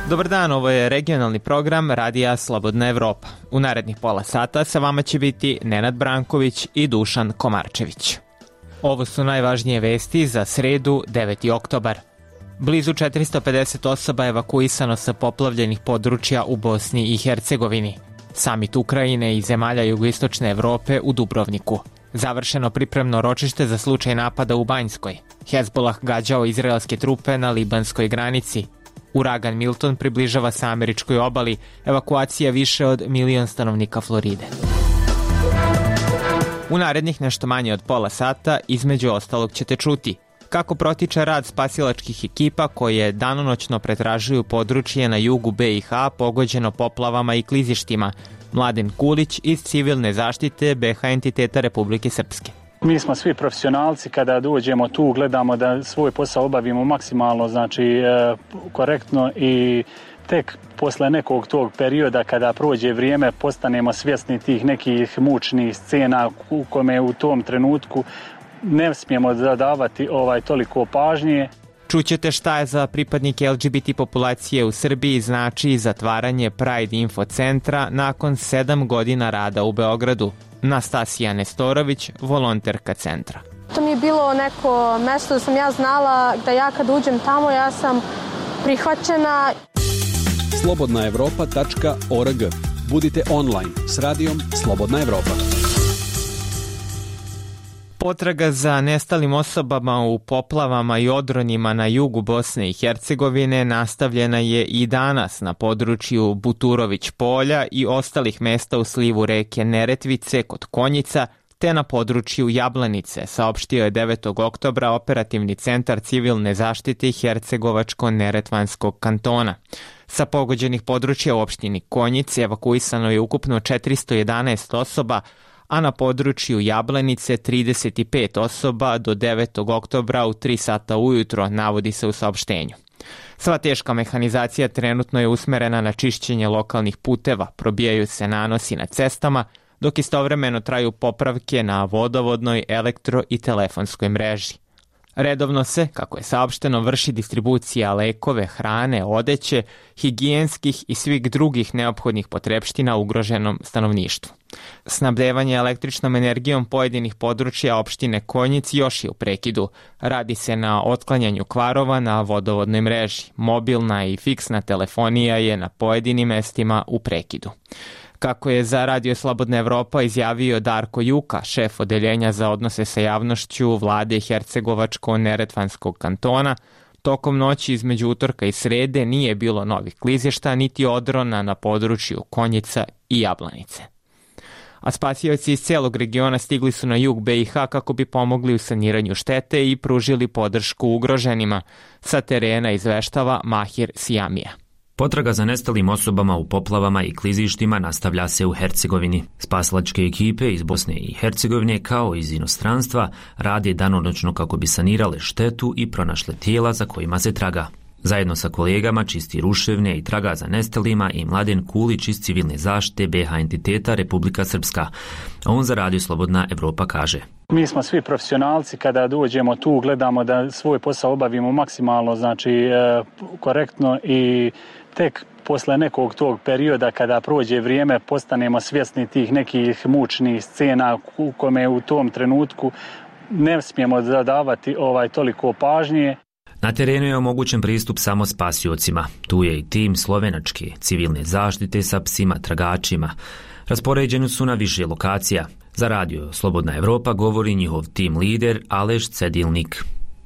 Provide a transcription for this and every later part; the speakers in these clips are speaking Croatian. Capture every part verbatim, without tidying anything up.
Dobar dan, ovo je regionalni program Radija Slobodna Evropa. U narednih pola sata sa vama će biti Nenad Branković i Dušan Komarčević. Ovo su najvažnije vesti za sredu, deveti oktobar. Blizu četiristo pedeset osoba evakuisano sa poplavljenih područja u Bosni i Hercegovini. Samit Ukrajine i zemalja jugoistočne Evrope u Dubrovniku. Završeno pripremno ročište za slučaj napada u Banjskoj. Hezbolah gađao izraelske trupe na libanskoj granici. Uragan Milton približava se američkoj obali, evakuacija više od milion stanovnika Floride. U narednih nešto manje od pola sata, između ostalog ćete čuti kako protiče rad spasilačkih ekipa koje danonoćno pretražuju područje na jugu B i H pogođeno poplavama i klizištima. Mladen Kulić iz civilne zaštite B H entiteta Republike Srpske. Mi smo svi profesionalci, kada dođemo tu gledamo da svoj posao obavimo maksimalno, znači e, korektno i tek posle nekog tog perioda kada prođe vrijeme postanemo svjesni tih nekih mučnih scena u kome u tom trenutku ne smijemo zadavati ovaj toliko pažnje. Čućete šta je za pripadnike L G B T populacije u Srbiji znači zatvaranje Pride Info centra nakon sedam godina rada u Beogradu. Nastasija Nestorović, volonterka centra. To mi je bilo neko mesto da sam ja znala da ja kad uđem tamo ja sam prihvaćena. slobodna evropa tačka org. Budite online s radijom Slobodna Evropa. Potraga za nestalim osobama u poplavama i odronima na jugu Bosne i Hercegovine nastavljena je i danas na području Buturović polja i ostalih mesta u slivu reke Neretvice kod Konjica, te na području Jablanice, saopštio je devetog oktobra operativni centar civilne zaštite Hercegovačko-Neretvanskog kantona. Sa pogođenih područja u opštini Konjic evakuisano je ukupno četiristo jedanaest osoba, a na području Jablanice trideset pet osoba do devetog oktobra u tri sata ujutro, navodi se u saopštenju. Sva teška mehanizacija trenutno je usmerena na čišćenje lokalnih puteva, probijaju se nanosi na cestama, dok istovremeno traju popravke na vodovodnoj, elektro i telefonskoj mreži. Redovno se, kako je saopšteno, vrši distribucija lekove, hrane, odeće, higijenskih i svih drugih neophodnih potrepština ugroženom stanovništvu. Snabdevanje električnom energijom pojedinih područja opštine Konjic još je u prekidu. Radi se na otklanjanju kvarova na vodovodnoj mreži. Mobilna i fiksna telefonija je na pojedinim mestima u prekidu. Kako je za Radio Slobodna Evropa izjavio Darko Juka, šef odeljenja za odnose sa javnošću vlade Hercegovačko-Neretvanskog kantona, tokom noći između utorka i srede nije bilo novih klizišta niti odrona na području Konjica i Jablanice. A spasioci iz celog regiona stigli su na jug B i H kako bi pomogli u saniranju štete i pružili podršku ugroženima, sa terena izveštava Mahir Sijamija. Potraga za nestalim osobama u poplavama i klizištima nastavlja se u Hercegovini. Spasilačke ekipe iz Bosne i Hercegovine kao iz inostranstva rade danonoćno kako bi sanirale štetu i pronašle tijela za kojima se traga. Zajedno sa kolegama čisti ruševne i traga za nestalima i Mladen Kulić iz civilne zaštite B H entiteta Republika Srpska. On za Radio Slobodna Evropa kaže: Mi smo svi profesionalci, kada dođemo tu gledamo da svoj posao obavimo maksimalno, znači e, korektno i tek posle nekog tog perioda kada prođe vrijeme postanemo svjesni tih nekih mučnih scena u kome u tom trenutku ne smijemo zadavati ovaj toliko pažnje. Na terenu je omogućen pristup samo spasiocima. Tu je i tim slovenačke civilne zaštite sa psima tragačima. Raspoređeni su na više lokacija. Za Radio Slobodna Evropa govori njihov tim lider Aleš Cedilnik.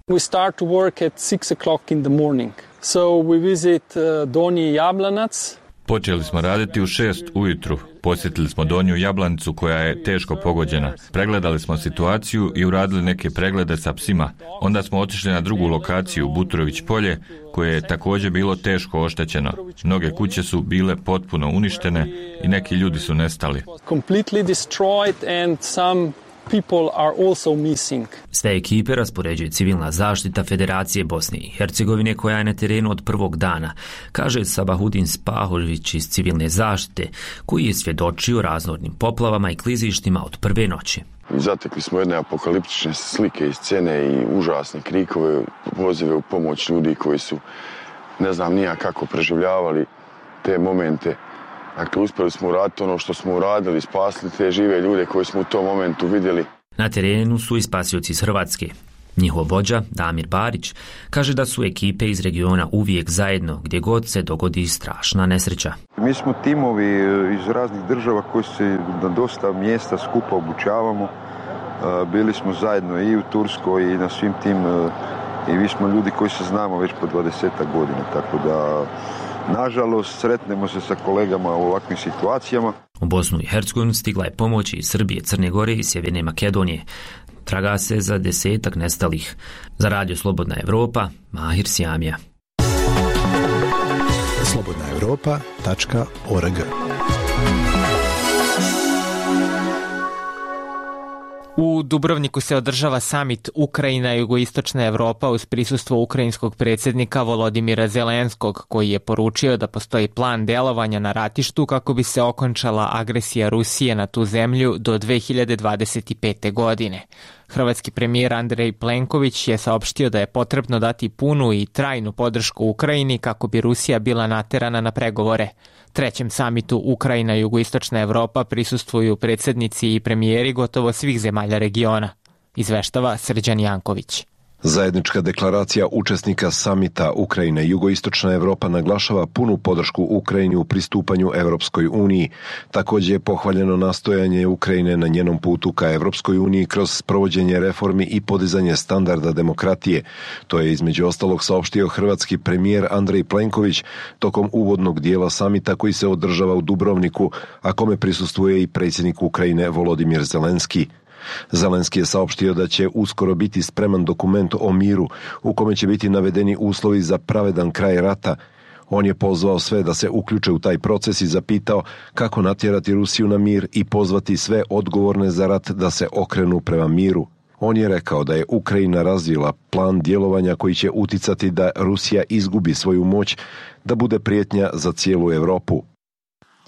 We start to work at six o'clock in the morning. So we visit uh, Donji Jablanac. Počeli smo raditi u šest ujutru. Posjetili smo Donju Jablanicu koja je teško pogođena. Pregledali smo situaciju i uradili neke preglede sa psima. Onda smo otišli na drugu lokaciju, Buturović polje, koje je također bilo teško oštećeno. Mnoge kuće su bile potpuno uništene i neki ljudi su nestali. Completely destroyed and some people are also missing. Sve ekipe raspoređuje civilna zaštita Federacije Bosne i Hercegovine koja je na terenu od prvog dana, kaže Sabahudin Spahović iz civilne zaštite, koji je svjedočio raznornim poplavama i klizištima od prve noći. Zatekli smo jedne apokaliptične slike i scene i užasne krikove, pozive u pomoć ljudi koji su ne znam nija kako preživljavali te momente. Dakle, uspjeli smo uraditi ono što smo uradili, spasili te žive ljude koje smo u tom momentu vidjeli. Na terenu su i spasioci iz Hrvatske. Njihov vođa, Damir Barić, kaže da su ekipe iz regiona uvijek zajedno gdje god se dogodi strašna nesreća. Mi smo timovi iz raznih država koji se na dosta mjesta skupa obučavamo. Bili smo zajedno i u Turskoj i na svim tim, i vi smo ljudi koji se znamo već po dvadesetak godina, tako da nažalost sretnemo se sa kolegama u ovakvim situacijama. U Bosnu i Hercegovinu stigla je pomoć iz Srbije, Crne Gore i Sjeverne Makedonije. Traga se za desetak nestalih. Za Radio Slobodna Evropa, Mahir Sjamija. slobodna evropa tačka org. U Dubrovniku se održava samit Ukrajina i jugoistočna Evropa uz prisustvo ukrajinskog predsjednika Volodimira Zelenskog, koji je poručio da postoji plan delovanja na ratištu kako bi se okončala agresija Rusije na tu zemlju do dve hiljade dvadeset pete. godine. Hrvatski premijer Andrej Plenković je saopštio da je potrebno dati punu i trajnu podršku Ukrajini kako bi Rusija bila naterana na pregovore. Trećem samitu Ukrajina i jugoistočna Evropa prisustvuju predsjednici i premijeri gotovo svih zemalja regiona, izveštava Srđan Janković. Zajednička deklaracija učesnika samita Ukrajina i jugoistočna Evropa naglašava punu podršku Ukrajini u pristupanju Evropskoj uniji. Također je pohvaljeno nastojanje Ukrajine na njenom putu ka Evropskoj uniji kroz provođenje reformi i podizanje standarda demokratije. To je između ostalog saopštio hrvatski premijer Andrej Plenković tokom uvodnog dijela samita koji se održava u Dubrovniku, a kome prisustvuje i predsjednik Ukrajine Volodimir Zelenski. Zelenski je saopštio da će uskoro biti spreman dokument o miru u kome će biti navedeni uslovi za pravedan kraj rata. On je pozvao sve da se uključe u taj proces i zapitao kako natjerati Rusiju na mir i pozvati sve odgovorne za rat da se okrenu prema miru. On je rekao da je Ukrajina razvila plan djelovanja koji će uticati da Rusija izgubi svoju moć, da bude prijetnja za cijelu Europu.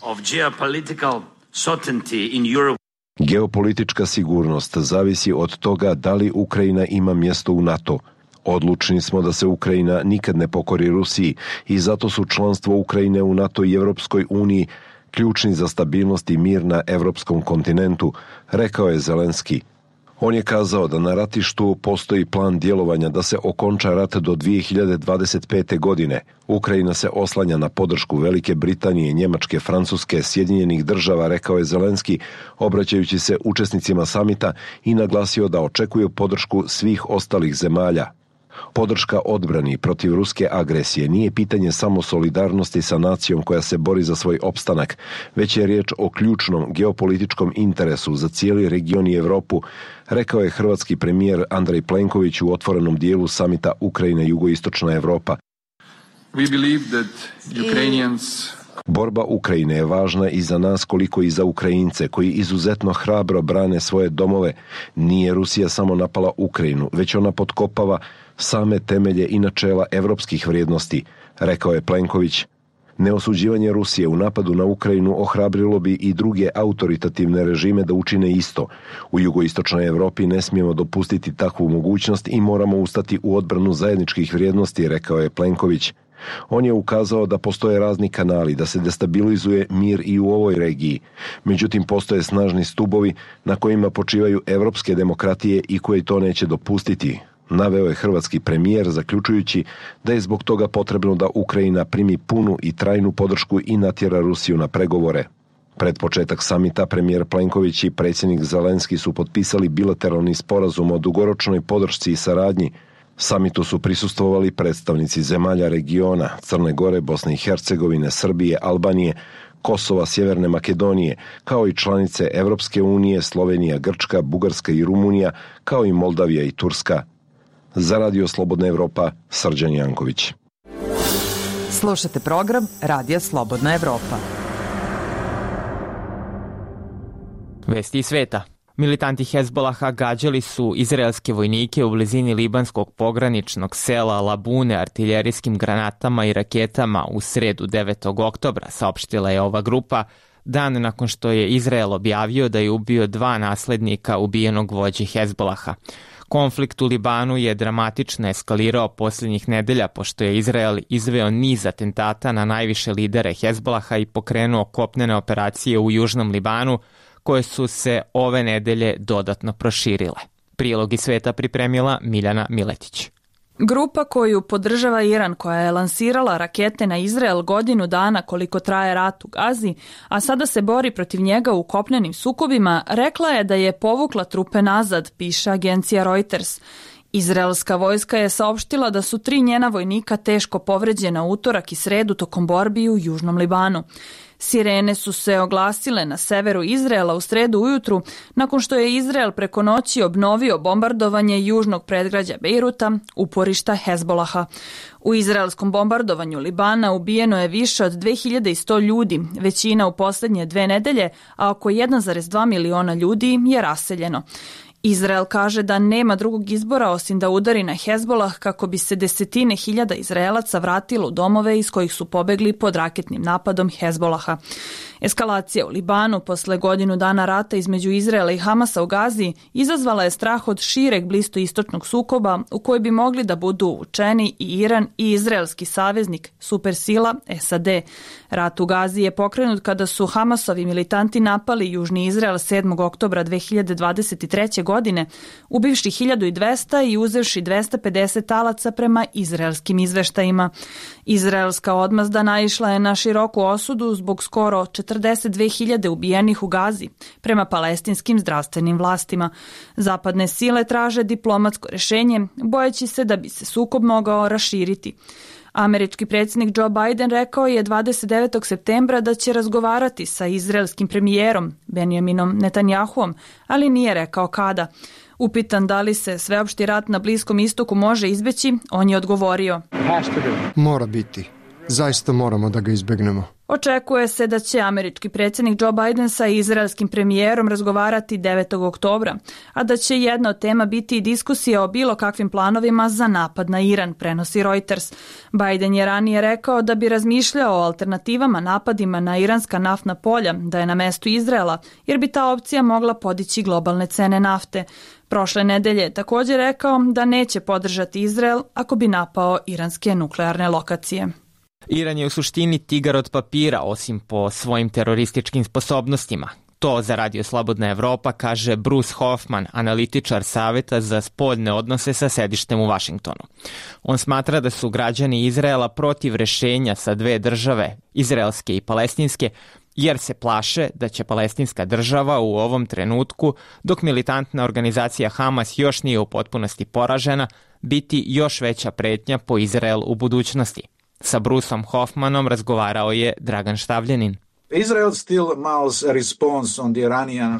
Of geopolitical certainty in Europe. Geopolitička sigurnost zavisi od toga da li Ukrajina ima mjesto u NATO. Odlučni smo da se Ukrajina nikad ne pokori Rusiji i zato su članstvo Ukrajine u NATO i Europskoj uniji ključni za stabilnost i mir na europskom kontinentu, rekao je Zelenski. On je kazao da na ratištu postoji plan djelovanja da se okonča rat do dvije hiljade dvadeset pete. godine. Ukrajina se oslanja na podršku Velike Britanije, Njemačke, Francuske, Sjedinjenih država, rekao je Zelenski, obraćajući se učesnicima samita i naglasio da očekuje podršku svih ostalih zemalja. Podrška odbrani protiv ruske agresije nije pitanje samo solidarnosti sa nacijom koja se bori za svoj opstanak, već je riječ o ključnom geopolitičkom interesu za cijeli region i Europu, rekao je hrvatski premijer Andrej Plenković u otvorenom dijelu samita Ukrajina i jugoistočna Evropa. We believe that Ukrainians Borba Ukrajine je važna i za nas koliko i za Ukrajince koji izuzetno hrabro brane svoje domove. Nije Rusija samo napala Ukrajinu, već ona potkopava same temelje i načela europskih vrijednosti, rekao je Plenković. Neosuđivanje Rusije u napadu na Ukrajinu ohrabrilo bi i druge autoritativne režime da učine isto. U jugoistočnoj Europi ne smijemo dopustiti takvu mogućnost i moramo ustati u odbranu zajedničkih vrijednosti, rekao je Plenković. On je ukazao da postoje razni kanali da se destabilizuje mir i u ovoj regiji. Međutim, postoje snažni stubovi na kojima počivaju europske demokratije i koji to neće dopustiti, naveo je hrvatski premijer, zaključujući da je zbog toga potrebno da Ukrajina primi punu i trajnu podršku i natjera Rusiju na pregovore. Pred početak samita premijer Plenković i predsjednik Zelenski su potpisali bilateralni sporazum o dugoročnoj podršci i saradnji. Samitu su prisustvovali predstavnici zemalja regiona, Crne Gore, Bosne i Hercegovine, Srbije, Albanije, Kosova, Sjeverne Makedonije, kao i članice Evropske unije, Slovenija, Grčka, Bugarska i Rumunija, kao i Moldavija i Turska. Za Radio Slobodna Evropa, Srđan Janković. Slušate program Radija Slobodna Evropa. Vesti iz sveta. Militanti Hezbolaha gađali su izraelske vojnike u blizini libanskog pograničnog sela Labune artiljerijskim granatama i raketama u sredu devetog oktobra, saopštila je ova grupa, dan nakon što je Izrael objavio da je ubio dva naslednika ubijenog vođe Hezbolaha. Konflikt u Libanu je dramatično eskalirao posljednjih nedelja pošto je Izrael izveo niz atentata na najviše lidere Hezbolaha i pokrenuo kopnene operacije u južnom Libanu koje su se ove nedelje dodatno proširile. Prilog iz sveta pripremila Miljana Miletić. Grupa koju podržava Iran, koja je lansirala rakete na Izrael godinu dana koliko traje rat u Gazi, a sada se bori protiv njega u kopnenim sukobima, rekla je da je povukla trupe nazad, piše agencija Reuters. Izraelska vojska je saopštila da su tri njena vojnika teško povređena utorak i sredu tokom borbi u južnom Libanu. Sirene su se oglasile na severu Izraela u sredu ujutru nakon što je Izrael preko noći obnovio bombardovanje južnog predgrađa Bejruta, uporišta Hezbolaha. U izraelskom bombardovanju Libana ubijeno je više od dve hiljade sto ljudi, većina u posljednje dve nedelje, a oko jedan zarez dva miliona ljudi je raseljeno. Izrael kaže da nema drugog izbora osim da udari na Hezbolah kako bi se desetine hiljada Izraelaca vratilo u domove iz kojih su pobegli pod raketnim napadom Hezbolaha. Eskalacija u Libanu posle godinu dana rata između Izraela i Hamasa u Gazi izazvala je strah od šireg bliskoistočnog sukoba u koji bi mogli da budu uvučeni i Iran i izraelski saveznik supersila S A D. Rat u Gazi je pokrenut kada su Hamasovi militanti napali južni Izrael sedmog oktobra dve hiljade dvadeset treće. godine, ubivši hiljadu dvesta i uzevši dvesta pedeset talaca prema izraelskim izveštajima. Izraelska odmazda naišla je na široku osudu zbog skoro četrdeset dve hiljade ubijenih u Gazi, prema palestinskim zdravstvenim vlastima. Zapadne sile traže diplomatsko rješenje, bojeći se da bi se sukob mogao raširiti. Američki predsjednik Joe Biden rekao je dvadeset devetog septembra da će razgovarati sa izraelskim premijerom Benjaminom Netanjahuom, ali nije rekao kada. Upitan da li se sveopšti rat na Bliskom istoku može izbeći, on je odgovorio: Mora biti. Zaista moramo da ga izbegnemo. Očekuje se da će američki predsjednik Joe Biden sa izraelskim premijerom razgovarati devetog oktobra, a da će jedna od tema biti i diskusija o bilo kakvim planovima za napad na Iran, prenosi Reuters. Biden je ranije rekao da bi razmišljao o alternativama napadima na iranska naftna polja, da je na mestu Izraela, jer bi ta opcija mogla podići globalne cene nafte. Prošle nedelje je također rekao da neće podržati Izrael ako bi napao iranske nuklearne lokacije. Iran je u suštini tigar od papira, osim po svojim terorističkim sposobnostima. To za Radio Slobodna Evropa kaže Bruce Hoffman, analitičar Saveta za spoljne odnose sa sedištem u Vašingtonu. On smatra da su građani Izraela protiv rešenja sa dve države, izraelske i palestinske, jer se plaše da će palestinska država u ovom trenutku, dok militantna organizacija Hamas još nije u potpunosti poražena, biti još veća pretnja po Izrael u budućnosti. Sa Bruceom Hoffmanom razgovarao je Dragan Štavljanin.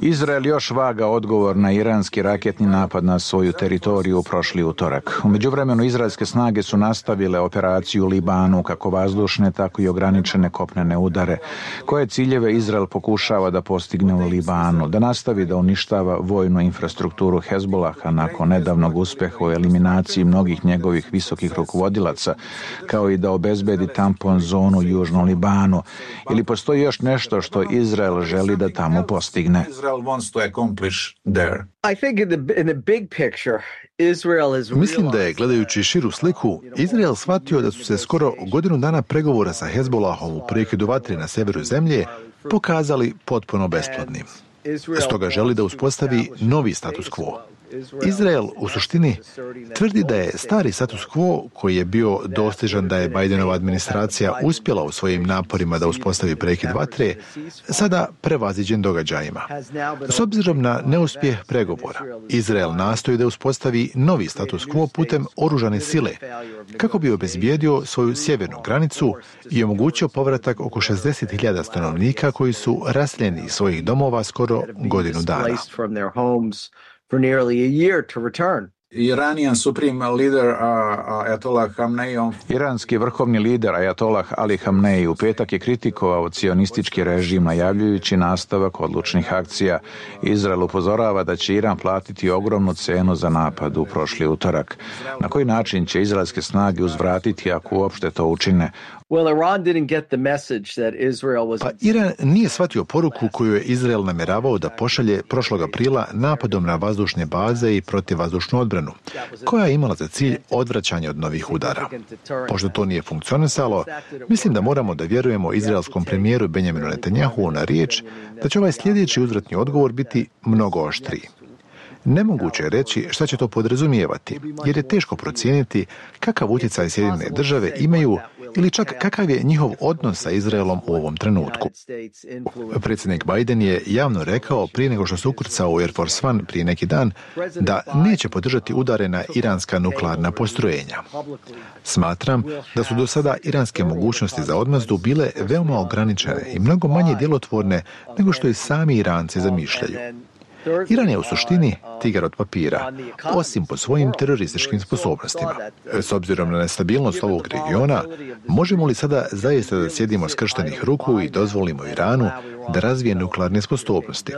Izrael još vaga odgovor na iranski raketni napad na svoju teritoriju prošli utorak. U međuvremenu izraelske snage su nastavile operaciju u Libanu, kako vazdušne, tako i ograničene kopnene udare. Koje ciljeve Izrael pokušava da postigne u Libanu? Da nastavi da uništava vojnu infrastrukturu Hezbolaha nakon nedavnog uspeha u eliminaciji mnogih njegovih visokih rukovodilaca, kao i da obezbedi tampon zonu u južnom Libanu. Ili postoji još nešto što Izrael želi da tamo postigne? Mislim da je, gledajući širu sliku, Izrael shvatio da su se skoro godinu dana pregovora sa Hezbolahom u prekidu vatre na severu zemlje pokazali potpuno besplodnim. Stoga želi da uspostavi novi status quo. Izrael u suštini tvrdi da je stari status quo, koji je bio dostižan da je Bidenova administracija uspjela u svojim naporima da uspostavi prekid vatre, sada prevaziđen događajima. S obzirom na neuspjeh pregovora, Izrael nastoji da uspostavi novi status quo putem oružane sile, kako bi obezbijedio svoju sjevernu granicu i omogućio povratak oko šezdeset hiljada stanovnika koji su raseljeni iz svojih domova skoro godinu dana. For nearly a year to return. Iranian supreme leader uh, Ayatollah Khamenei. Iranski vrhovni lider Ayatollah Ali Khamenei u petak je kritikovao cionistički režim najavljujući nastavak odlučnih akcija. Izrael upozorava da će Iran platiti ogromnu cenu za napad u prošli utorak. Na koji način će izraelske snage uzvratiti ako uopšte to učine? Pa Iran nije shvatio poruku koju je Izrael namjeravao da pošalje prošlog aprila napadom na vazdušne baze i protivvazdušnu odbranu, koja je imala za cilj odvraćanje od novih udara. Pošto to nije funkcionisalo, mislim da moramo da vjerujemo izraelskom premijeru Benjaminu Netanjahu na riječ da će ovaj sljedeći uzvratni odgovor biti mnogo oštriji. Nemoguće je reći šta će to podrazumijevati, jer je teško procijeniti kakav utjecaj Sjedinjene države imaju ili čak kakav je njihov odnos sa Izraelom u ovom trenutku. Predsjednik Biden je javno rekao prije nego što se ukrcao u Air Force One prije neki dan da neće podržati udare na iranska nuklearna postrojenja. Smatram da su do sada iranske mogućnosti za odmazdu bile veoma ograničene i mnogo manje djelotvorne nego što i sami Iranci zamišljaju. Iran je u suštini tigar od papira, osim po svojim terorističkim sposobnostima. S obzirom na nestabilnost ovog regiona, možemo li sada zaista da sjedimo skrštenih ruku i dozvolimo Iranu da razvije nuklearne sposobnosti?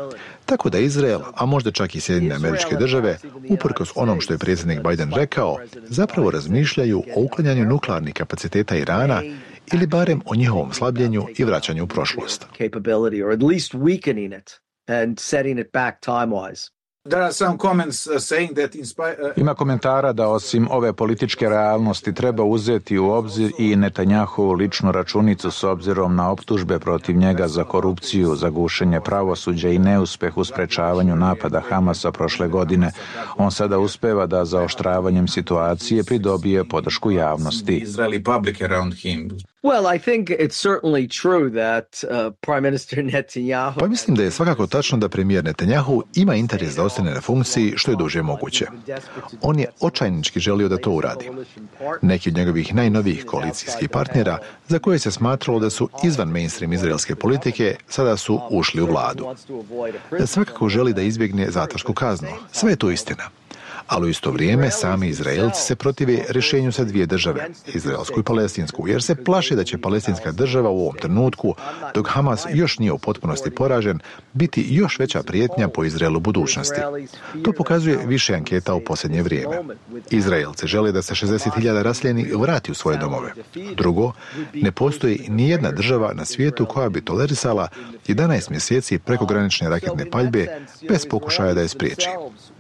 Tako da Izrael, a možda čak i Sjedinjene Američke Države, uprkos onom što je predsjednik Biden rekao, zapravo razmišljaju o uklanjanju nuklearnih kapaciteta Irana ili barem o njihovom slabljenju i vraćanju u prošlost. And setting it back time-wise. Ima komentara da osim ove političke realnosti treba uzeti u obzir i Netanjahovu ličnu računicu s obzirom na optužbe protiv njega za korupciju, za gušenje pravosuđa i neuspeh u sprečavanju napada Hamasa prošle godine. On sada uspeva da zaoštravanjem situacije pridobije podršku javnosti. Well, I think it's certainly true that uh, Prime Minister Netanyahu... Pa mislim da je svakako tačno da premijer Netanjahu ima interes da ostane na funkciji što je duže moguće. On je očajnički želio da to uradi. Neki od njegovih najnovijih koalicijskih partnera, za koje se smatralo da su izvan mainstream izraelske politike, sada su ušli u vladu. Svakako želi da izbjegne zatvorsku kaznu. Sve je to istina. Ali u isto vrijeme sami Izraelci se protive rješenju sa dvije države, izraelsku i palestinsku, jer se plaše da će palestinska država u ovom trenutku, dok Hamas još nije u potpunosti poražen, biti još veća prijetnja po Izraelu budućnosti. To pokazuje više anketa u posljednje vrijeme. Izraelci žele da se šezdeset hiljada raseljenih vrati u svoje domove. Drugo, ne postoji ni jedna država na svijetu koja bi tolerisala jedanaest mjeseci prekogranične raketne paljbe bez pokušaja da je spriječi.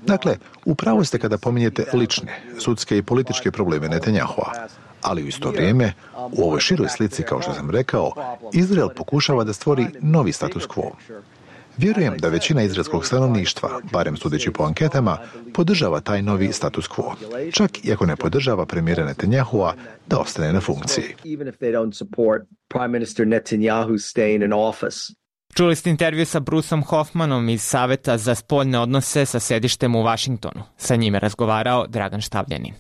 Dakle, upravo ste kada pominjete lične, sudske i političke probleme Netanjahua, ali u isto vrijeme, u ovoj široj slici, kao što sam rekao, Izrael pokušava da stvori novi status quo. Vjerujem da većina izraelskog stanovništva, barem sudeći po anketama, podržava taj novi status quo, čak i ako ne podržava premijera Netanjahua da ostane na funkciji. Čuli ste intervju sa Bruceom Hoffmanom iz Saveta za spoljne odnose sa sedištem u Vašingtonu. Sa njime razgovarao Dragan Štavljanin.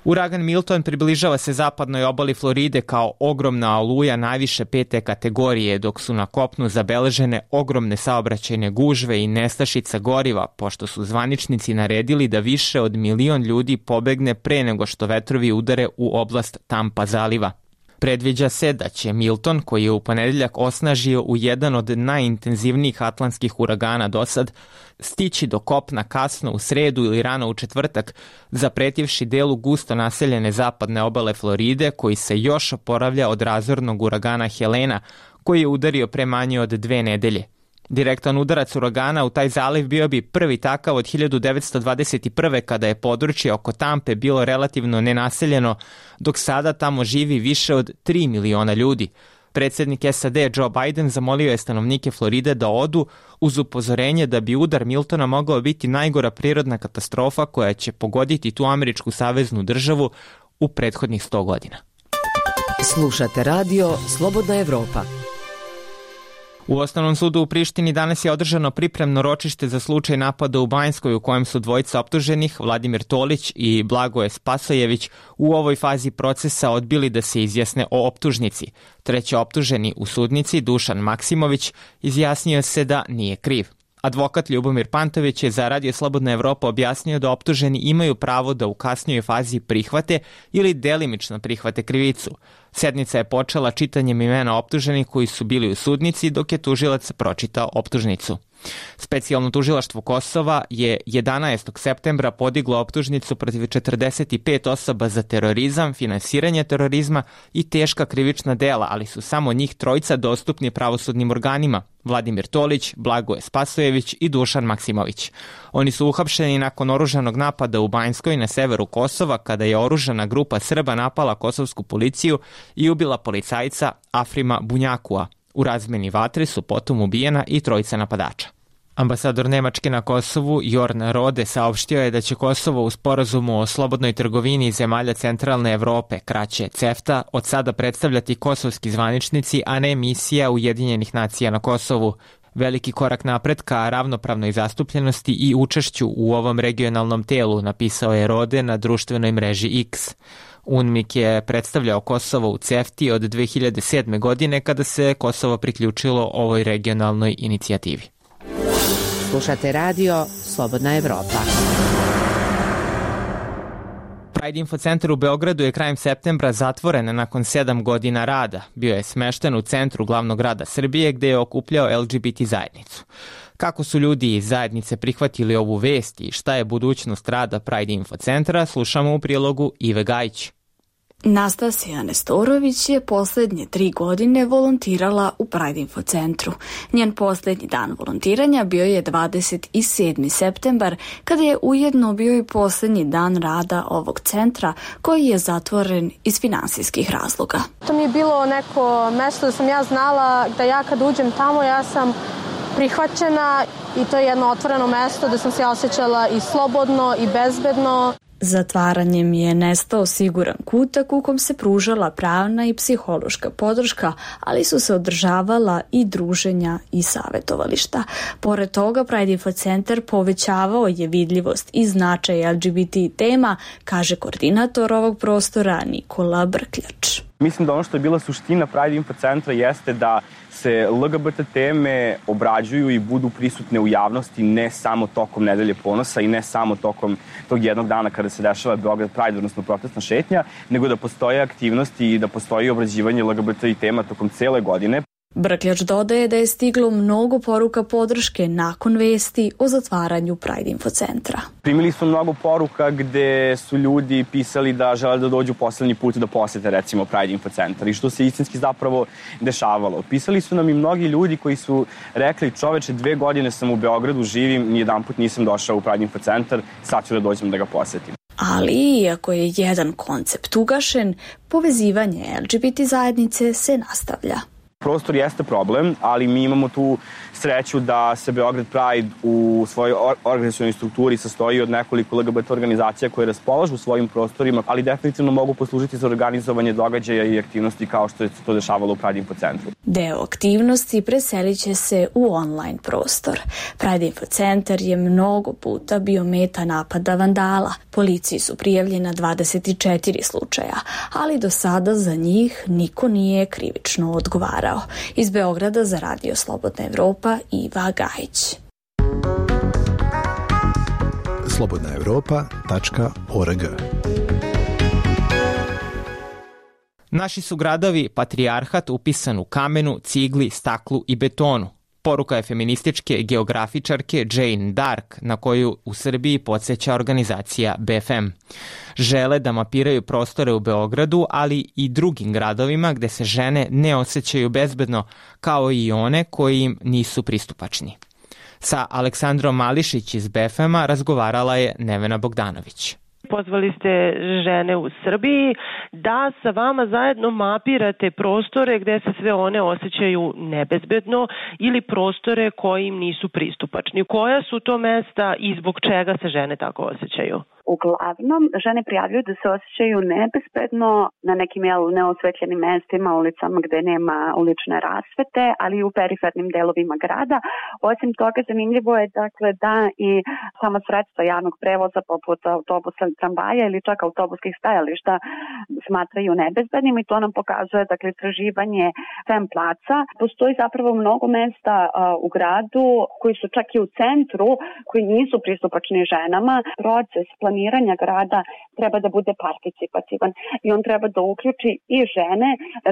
Uragan Milton približava se zapadnoj obali Floride kao ogromna oluja najviše pete kategorije, dok su na kopnu zabeležene ogromne saobraćajne gužve i nestašica goriva, pošto su zvaničnici naredili da više od milion ljudi pobegne pre nego što vetrovi udare u oblast Tampa zaliva. Predviđa se da će Milton, koji je u ponedjeljak osnažio u jedan od najintenzivnijih atlantskih uragana dosad, stići do kopna kasno u sredu ili rano u četvrtak, zapretivši delu gusto naseljene zapadne obale Floride, koji se još oporavlja od razornog uragana Helena, koji je udario pre manje od dve nedelje. Direktan udarac uragana u taj zaliv bio bi prvi takav od hiljadu devetsto dvadeset prve. kada je područje oko Tampe bilo relativno nenaseljeno, dok sada tamo živi više od tri miliona ljudi. Predsjednik S A D Joe Biden zamolio je stanovnike Floride da odu uz upozorenje da bi udar Miltona mogao biti najgora prirodna katastrofa koja će pogoditi tu američku saveznu državu u prethodnih sto godina. Slušate radio Slobodna Evropa. U Osnovnom sudu u Prištini danas je održano pripremno ročište za slučaj napada u Banjskoj u kojem su dvojica optuženih, Vladimir Tolić i Blagoje Spasojević, u ovoj fazi procesa odbili da se izjasne o optužnici. Treći optuženi u sudnici, Dušan Maksimović, izjasnio se da nije kriv. Advokat Ljubomir Pantović je za Radio Slobodna Evropa objasnio da optuženi imaju pravo da u kasnijoj fazi prihvate ili delimično prihvate krivicu. Sednica je počela čitanjem imena optuženih koji su bili u sudnici dok je tužilac pročitao optužnicu. Specijalno tužilaštvo Kosova je jedanaestog septembra podiglo optužnicu protiv četrdeset pet osoba za terorizam, finansiranje terorizma i teška krivična dela, ali su samo njih trojica dostupni pravosudnim organima: Vladimir Tolić, Blagoje Spasojević i Dušan Maksimović. Oni su uhapšeni nakon oružanog napada u Banjskoj na severu Kosova, kada je oružana grupa Srba napala kosovsku policiju i ubila policajca Afrima Bunjakua. U razmeni vatre su potom ubijena i trojica napadača. Ambasador Nemačke na Kosovu Jorn Rode saopštio je da će Kosovo u sporazumu o slobodnoj trgovini zemalja centralne Evrope, kraće CEFTA, od sada predstavljati kosovski zvaničnici, a ne misija Ujedinjenih nacija na Kosovu. Veliki korak napred ka ravnopravnoj zastupljenosti i učešću u ovom regionalnom telu, napisao je Rode na društvenoj mreži X. UNMIK je predstavljao Kosovo u CEFTI od dve hiljade sedme. godine kada se Kosovo priključilo ovoj regionalnoj inicijativi. Slušate radio Slobodna Evropa. Pride Info Centar u Beogradu je krajem septembra zatvoren nakon sedam godina rada. Bio je smešten u centru glavnog grada Srbije gde je okupljao L G B T zajednicu. Kako su ljudi iz zajednice prihvatili ovu vest i šta je budućnost rada Pride Info Centra, slušamo u prilogu Ive Gajić. Nastasija Nestorović je poslednje tri godine volontirala u Pride Info Centru. Njen poslednji dan volontiranja bio je dvadeset sedmi septembar, kada je ujedno bio i poslednji dan rada ovog centra, koji je zatvoren iz finansijskih razloga. To mi je bilo neko mesto da sam ja znala da ja kad uđem tamo ja sam prihvaćena i to je jedno otvoreno mesto da sam se osjećala i slobodno i bezbedno. Zatvaranjem je nestao siguran kutak u kom se pružala pravna i psihološka podrška, ali su se održavala i druženja i savjetovališta. Pored toga, Pride Info Centar povećavao je vidljivost i značaj L G B T tema, kaže koordinator ovog prostora Nikola Brkljač. Mislim da ono što je bila suština Pride Info Centra jeste da se L G B T teme obrađuju i budu prisutne u javnosti ne samo tokom Nedelje ponosa i ne samo tokom tog jednog dana kada se dešava Beograd Pride, odnosno protestna šetnja, nego da postoje aktivnosti i da postoji obrađivanje L G B T tema tokom cele godine. Brkljač dodaje da je stiglo mnogo poruka podrške nakon vesti o zatvaranju Pride Info Centra. Primili su mnogo poruka gde su ljudi pisali da žele da dođu poslednji put da posete recimo Pride Info Centar i što se istinski zapravo dešavalo. Pisali su nam i mnogi ljudi koji su rekli: čoveče, dve godine sam u Beogradu, živim, nijedan put nisam došao u Pride Info Centar, sad ću da dođem da ga posetim. Ali, iako je jedan koncept ugašen, povezivanje L G B T zajednice se nastavlja. Prostor jeste problem, ali mi imamo tu sreću da se Beograd Pride u svojoj organizacionoj strukturi sastoji od nekoliko L G B T organizacija koje raspolažu svojim prostorima, ali definitivno mogu poslužiti za organizovanje događaja i aktivnosti kao što je to dešavalo u Pride Info Centru. Deo aktivnosti preselit će se u online prostor. Pride Info Centar je mnogo puta bio meta napada vandala. Policiji su prijavljena dvadeset četiri slučaja, ali do sada za njih niko nije krivično odgovarao. Iz Beograda za Radio Slobodna Evropa, Iva Gajić. slobodna evropa tačka org. Naši su gradovi patrijarhat upisan u kamenu, cigli, staklu i betonu. Poruka je feminističke geografičarke Jane Dark, na koju u Srbiji podsjeća organizacija B F M. Žele da mapiraju prostore u Beogradu, ali i drugim gradovima gde se žene ne osjećaju bezbedno, kao i one koji im nisu pristupačni. Sa Aleksandrom Mališić iz B F M-a razgovarala je Nevena Bogdanović. Pozvali ste žene u Srbiji da sa vama zajedno mapirate prostore gde se sve one osjećaju nebezbedno ili prostore koji im nisu pristupačni. Koja su to mesta i zbog čega se žene tako osjećaju? Uglavnom, žene prijavljuju da se osjećaju nebezbedno na nekim jel, neosvetljenim mestima, ulicama gde nema ulične rasvete, ali i u perifernim delovima grada. Osim toga, zanimljivo je dakle, da i sama sredstva javnog prevoza poput autobusa, tramvaja ili čak autobuskih stajališta smatraju nebezbednim i to nam pokazuje dakle, istraživanje Femplaca. Postoji zapravo mnogo mesta a, u gradu koji su čak i u centru, koji nisu pristupačni ženama. Proces planiranja grada treba da bude participativan i on treba da uključi i žene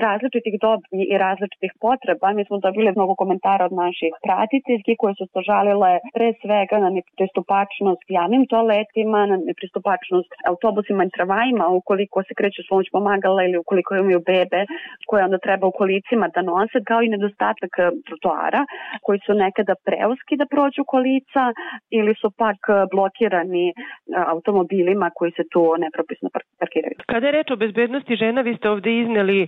različitih dobi i različitih potreba. Mi smo dobili mnogo komentara od naših pratiteljski koje su se žalile pre svega na nepristupačnost javnim toaletima, na nepristupačnost autobusima i tramvajima ukoliko se kreću s pomoć pomagala ili ukoliko imaju bebe koje onda treba u kolicima da nose, kao i nedostatak trotoara koji su nekada preuski da prođu kolica ili su pak blokirani automobilima koji se tu nepropisno parkiraju. Kada je reč o bezbednosti žena, vi ste ovde izneli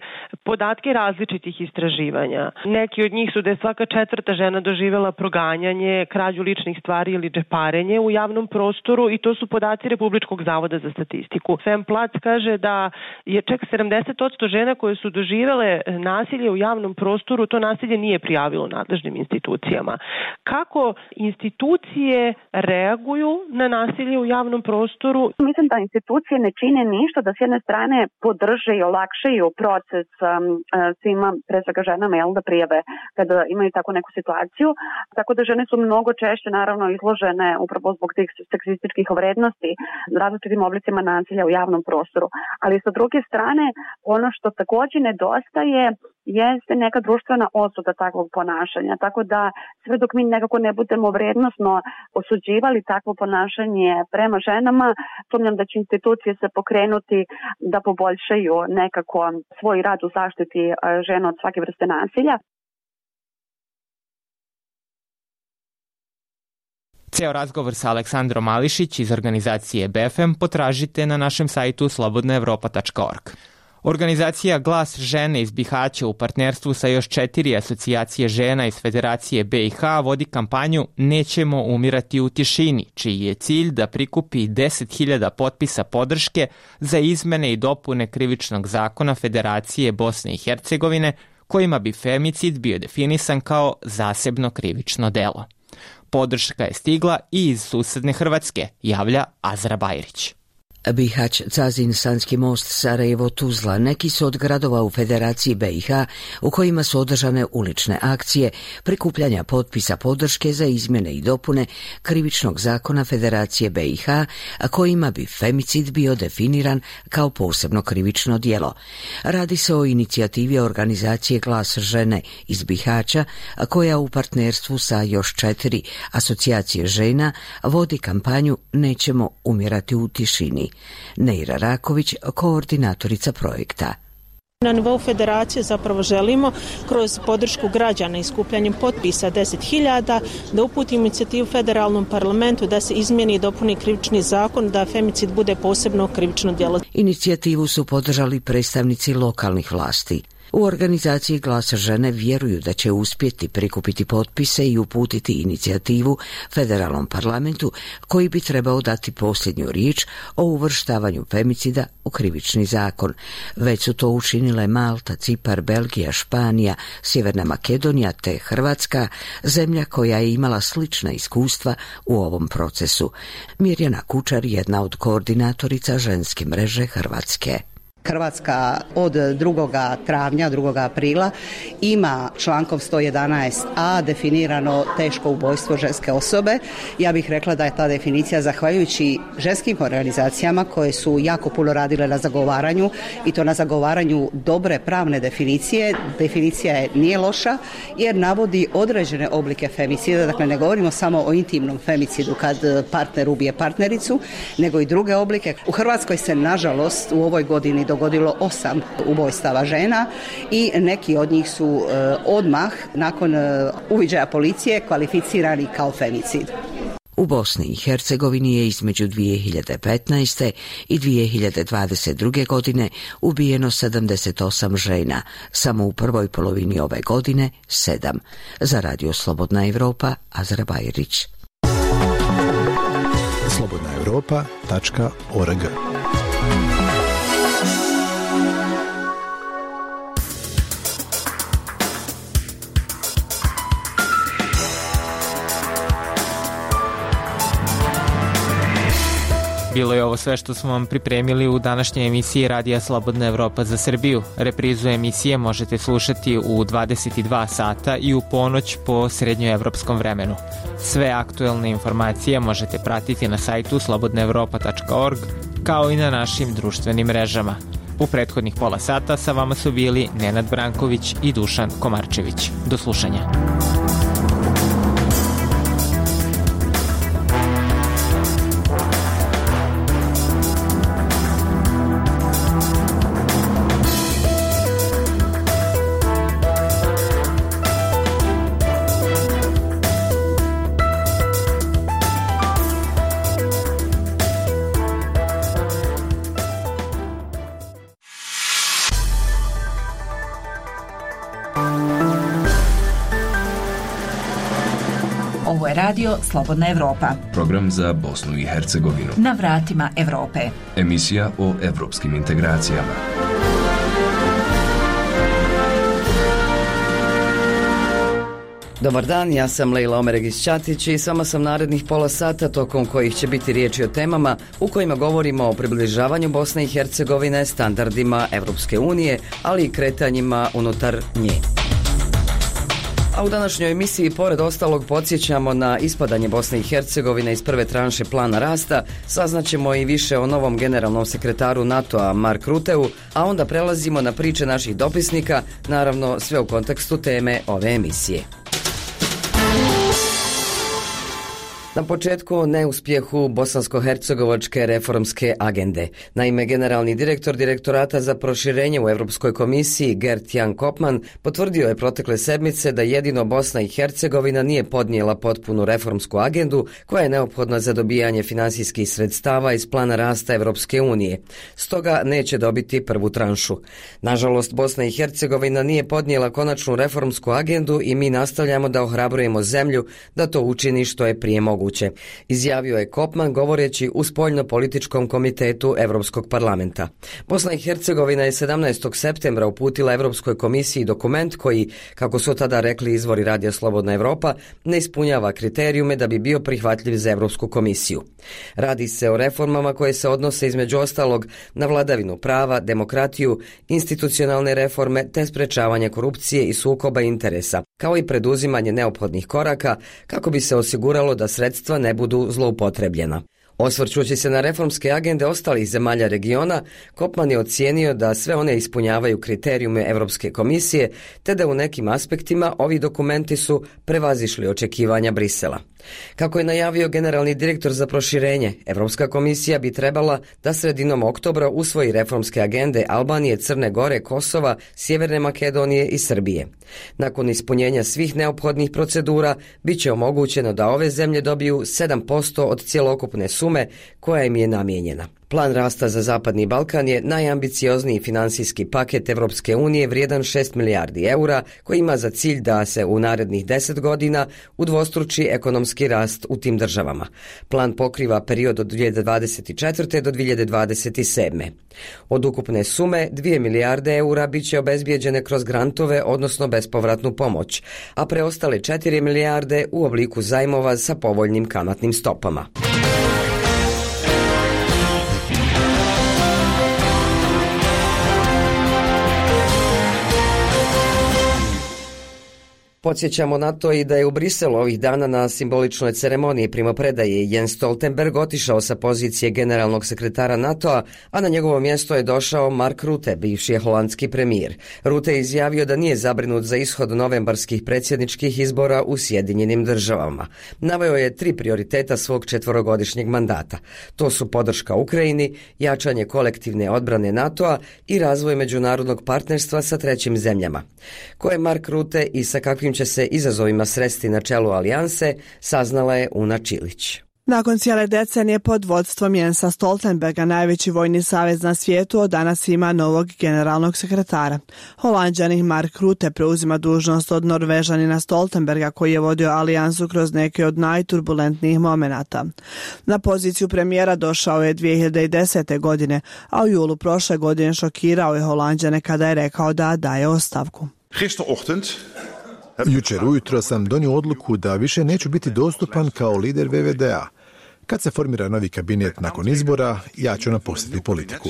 podatke različitih istraživanja. Neki od njih su da je svaka četvrta žena doživela proganjanje, krađu ličnih stvari ili džeparenje u javnom prostoru i to su podaci Republičkog zavoda za statistiku. Femplac kaže da je čak sedamdeset posto žena koje su doživele nasilje u javnom prostoru, to nasilje nije prijavilo nadležnim institucijama. Kako institucije reaguju na nasilje u javnom prostoru? Mislim da institucije ne čine ništa da s jedne strane podrže i olakšaju proces um, svima, pre svega ženama, jel, da prijave kada imaju tako neku situaciju. Tako da žene su mnogo češće naravno izložene upravo zbog tih seksističkih vrednosti različitim oblicima nasilja u javnom prostoru. Ali sa druge strane, ono što također nedostaje jeste neka društvena osuda takvog ponašanja. Tako da sve dok mi nekako ne budemo vrednosno osuđivali takvo ponašanje prema ženama, sumnjam da će institucije se pokrenuti da poboljšaju nekako svoj rad u zaštiti žena od svake vrste nasilja. Ceo razgovor sa Aleksandrom Mališić iz organizacije B F M potražite na našem sajtu slobodna evropa tačka org. Organizacija Glas žene iz Bihaća u partnerstvu sa još četiri asocijacije žena iz Federacije B i H vodi kampanju Nećemo umirati u tišini, čiji je cilj da prikupi deset hiljada potpisa podrške za izmene i dopune krivičnog zakona Federacije Bosne i Hercegovine, kojima bi femicid bio definisan kao zasebno krivično delo. Podrška je stigla i iz susedne Hrvatske, javlja Azra Bajrić. Bihać, Cazin, Sanski most, Sarajevo, Tuzla, neki su od gradova u Federaciji B i H u kojima su održane ulične akcije prikupljanja potpisa podrške za izmjene i dopune krivičnog zakona Federacije B i H, a kojima bi femicid bio definiran kao posebno krivično djelo. Radi se o inicijativi organizacije Glas žene iz Bihaća, koja u partnerstvu sa još četiri asocijacije žena vodi kampanju Nećemo umirati u tišini. Neira Raković, koordinatorica projekta. Na nivou federacije zapravo želimo kroz podršku građana i skupljanjem potpisa deset hiljada da uputimo inicijativu federalnom parlamentu da se izmijeni i dopuni krivični zakon da femicid bude posebno krivično djelo. Inicijativu su podržali predstavnici lokalnih vlasti. U organizaciji Glas žene vjeruju da će uspjeti prikupiti potpise i uputiti inicijativu federalnom parlamentu koji bi trebao dati posljednju riječ o uvrštavanju femicida u krivični zakon. Već su to učinile Malta, Cipar, Belgija, Španija, Sjeverna Makedonija te Hrvatska, zemlja koja je imala slična iskustva u ovom procesu. Mirjana Kučar, jedna od koordinatorica ženske mreže Hrvatske. Hrvatska od drugog travnja, drugog aprila ima člankom sto jedanaest a definirano teško ubojstvo ženske osobe. Ja bih rekla da je ta definicija zahvaljujući ženskim organizacijama koje su jako puno radile na zagovaranju i to na zagovaranju dobre pravne definicije. Definicija je nije loša jer navodi određene oblike femicida, dakle ne govorimo samo o intimnom femicidu kad partner ubije partnericu, nego i druge oblike. U Hrvatskoj se nažalost u ovoj godini dogodilo osam ubojstava žena i neki od njih su uh, odmah nakon uh, uviđaja policije kvalificirani kao femicid. U Bosni i Hercegovini je između dvije hiljade petnaeste i dvije hiljade dvadeset druge. godine ubijeno sedamdeset osam žena, samo u prvoj polovini ove godine sedam. Za Radio Slobodna Evropa, Azra Bajrić. slobodna europa tačka org. Bilo je ovo sve što smo vam pripremili u današnjoj emisiji Radija Slobodna Evropa za Srbiju. Reprizu emisije možete slušati u dvadeset dva sata i u ponoć po srednjoevropskom vremenu. Sve aktuelne informacije možete pratiti na sajtu slobodna europa tačka org kao i na našim društvenim mrežama. U prethodnih pola sata sa vama su bili Nenad Branković i Dušan Komarčević. Do slušanja. Ovo je radio Slobodna Evropa. Program za Bosnu i Hercegovinu. Na vratima Evrope. Emisija o evropskim integracijama. Dobar dan, ja sam Lejla Omeregić-Ćatić i s vama sam narednih pola sata tokom kojih će biti riječi o temama u kojima govorimo o približavanju Bosne i Hercegovine standardima Evropske unije, ali i kretanjima unutar nje. A u današnjoj emisiji pored ostalog podsjećamo na ispadanje Bosne i Hercegovine iz prve tranše plana rasta, saznaćemo i više o novom generalnom sekretaru NATO-a Mark Ruteu, a onda prelazimo na priče naših dopisnika, naravno sve u kontekstu teme ove emisije. Na početku o neuspjehu bosansko-hercegovačke reformske agende. Naime, generalni direktor Direktorata za proširenje u Europskoj komisiji Gert-Jan Kopman potvrdio je protekle sedmice da jedino Bosna i Hercegovina nije podnijela potpunu reformsku agendu koja je neophodna za dobijanje finansijskih sredstava iz plana rasta Europske unije. Stoga neće dobiti prvu tranšu. Nažalost, Bosna i Hercegovina nije podnijela konačnu reformsku agendu i mi nastavljamo da ohrabrujemo zemlju da to učini što je prije moguće. Izjavio je Kopman govoreći u spoljno-političkom komitetu Europskog parlamenta. Bosna i Hercegovina je sedamnaestog septembra uputila Europskoj komisiji dokument koji, kako su tada rekli izvori Radija Slobodna Evropa, ne ispunjava kriterijume da bi bio prihvatljiv za Europsku komisiju. Radi se o reformama koje se odnose između ostalog na vladavinu prava, demokratiju, institucionalne reforme te sprečavanje korupcije i sukoba interesa, kao i preduzimanje neophodnih koraka kako bi se osiguralo da sredstva ne budu zloupotrebljena. Osvrćući se na reformske agende ostalih zemalja regiona, Kopman je ocijenio da sve one ispunjavaju kriterijume Europske komisije, te da u nekim aspektima ovi dokumenti su prevazišli očekivanja Brisela. Kako je najavio generalni direktor za proširenje, Europska komisija bi trebala da sredinom oktobra usvoji reformske agende Albanije, Crne Gore, Kosova, Sjeverne Makedonije i Srbije. Nakon ispunjenja svih neophodnih procedura, bit će omogućeno da ove zemlje dobiju sedam posto od cjelokupne sume koja im je namijenjena. Plan rasta za Zapadni Balkan je najambiciozniji finansijski paket Evropske unije vrijedan šest milijardi eura koji ima za cilj da se u narednih deset godina udvostruči ekonomski rast u tim državama. Plan pokriva period od dvije hiljade dvadeset četvrte do dvije hiljade dvadeset sedme. Od ukupne sume dvije milijarde eura bit će obezbijeđene kroz grantove, odnosno bespovratnu pomoć, a preostale četiri milijarde u obliku zajmova sa povoljnim kamatnim stopama. Podsjećamo na to i da je u Briselu ovih dana na simboličnoj ceremoniji primopredaje Jens Stoltenberg otišao sa pozicije generalnog sekretara NATO-a, a na njegovo mjesto je došao Mark Rutte, bivši holandski premijer. Rutte je izjavio da nije zabrinut za ishod novembarskih predsjedničkih izbora u Sjedinjenim državama. Naveo je tri prioriteta svog četvorogodišnjeg mandata. To su podrška Ukrajini, jačanje kolektivne odbrane NATO-a i razvoj međunarodnog partnerstva sa trećim zemljama. Ko je Mark Rutte i sa kakvim će se izazovima sresti na čelu alijanse, saznala je Una Čilić. Nakon cijele decenije pod vodstvom Jensa Stoltenberga, najveći vojni savez na svijetu od danas ima novog generalnog sekretara. Holanđanin Mark Rutte preuzima dužnost od Norvežanina Stoltenberga, koji je vodio alijansu kroz neke od najturbulentnijih momenata. Na poziciju premijera došao je dvije hiljade desete. godine, a u julu prošle godine šokirao je Holanđane kada je rekao da daje ostavku. Jučer ujutro sam donio odluku da više neću biti dostupan kao lider V V D A. Kad se formira novi kabinet nakon izbora, ja ću napustiti politiku.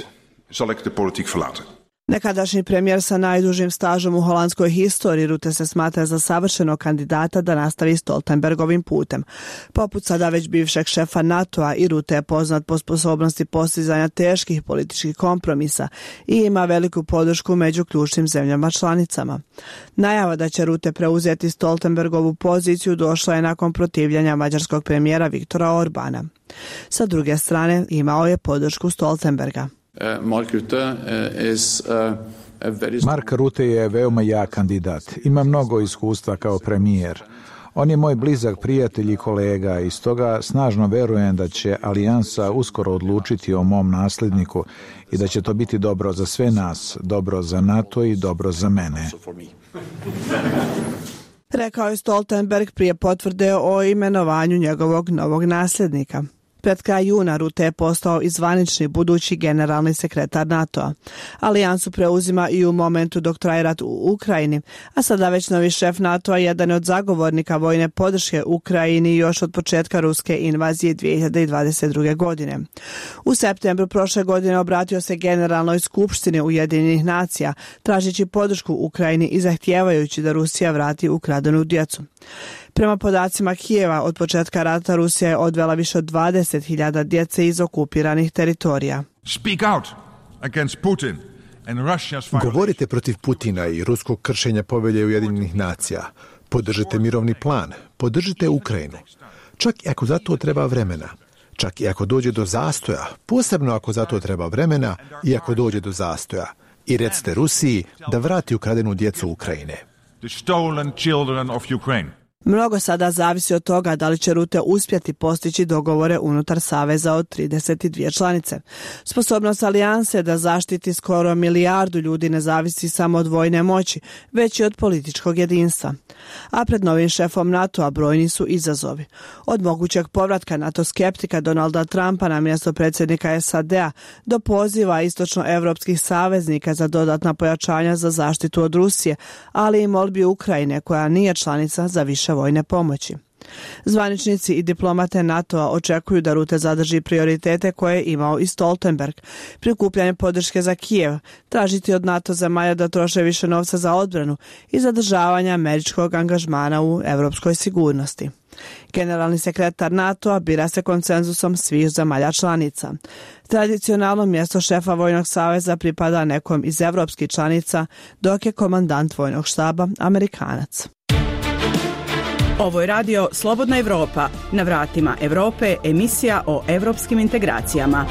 Nekadašnji premijer sa najdužim stažom u holandskoj historiji, Rutte se smatra za savršenog kandidata da nastavi Stoltenbergovim putem. Poput sada već bivšeg šefa NATO-a, i Rutte je poznat po sposobnosti postizanja teških političkih kompromisa i ima veliku podršku među ključnim zemljama članicama. Najava da će Rutte preuzeti Stoltenbergovu poziciju došla je nakon protivljenja mađarskog premijera Viktora Orbana. Sa druge strane, imao je podršku Stoltenberga. Mark Rutte is a very... Mark Rutte je veoma jak kandidat. Ima mnogo iskustva kao premijer. On je moj blizak prijatelj i kolega i stoga snažno verujem da će alijansa uskoro odlučiti o mom nasljedniku i da će to biti dobro za sve nas, dobro za NATO i dobro za mene. Rekao je Stoltenberg prije potvrde o imenovanju njegovog novog nasljednika. Pred kraj juna Rutte je postao i zvanični budući generalni sekretar NATO-a. Alijansu preuzima i u momentu dok traje rat u Ukrajini, a sada već novi šef NATO-a jedan je od zagovornika vojne podrške Ukrajini još od početka ruske invazije dvije hiljade dvadeset druge. godine. U septembru prošle godine obratio se Generalnoj skupštini Ujedinjenih nacija, tražeći podršku Ukrajini i zahtijevajući da Rusija vrati ukradenu djecu. Prema podacima Kijeva, od početka rata Rusija je odvela više od dvadeset hiljada djece iz okupiranih teritorija. Govorite protiv Putina i ruskog kršenja povelje Ujedinjenih nacija. Podržite mirovni plan, podržite Ukrajinu. Čak i ako za to treba vremena. Čak i ako dođe do zastoja, posebno ako za to treba vremena i ako dođe do zastoja. I recite Rusiji da vrati ukradenu djecu Ukrajine. Mnogo sada zavisi od toga da li će Rutte uspjeti postići dogovore unutar saveza od trideset dvije članice. Sposobnost alijanse da zaštiti skoro milijardu ljudi ne zavisi samo od vojne moći, već i od političkog jedinstva. A pred novim šefom NATO-a brojni su izazovi. Od mogućeg povratka NATO skeptika Donalda Trumpa na mjesto predsjednika S A D-a do poziva istočnoevropskih saveznika za dodatna pojačanja za zaštitu od Rusije, ali i molbi Ukrajine koja nije članica za više vojne pomoći. Zvaničnici i diplomate NATO-a očekuju da Rutte zadrži prioritete koje je imao i Stoltenberg, prikupljanje podrške za Kijev, tražiti od NATO zemalja da troše više novca za odbranu i zadržavanje američkog angažmana u europskoj sigurnosti. Generalni sekretar NATO-a bira se konsenzusom svih zemalja članica. Tradicionalno mjesto šefa vojnog saveza pripada nekom iz evropskih članica, dok je komandant vojnog štaba Amerikanac. Ovo je radio Slobodna Evropa. Na vratima Evrope emisija o evropskim integracijama.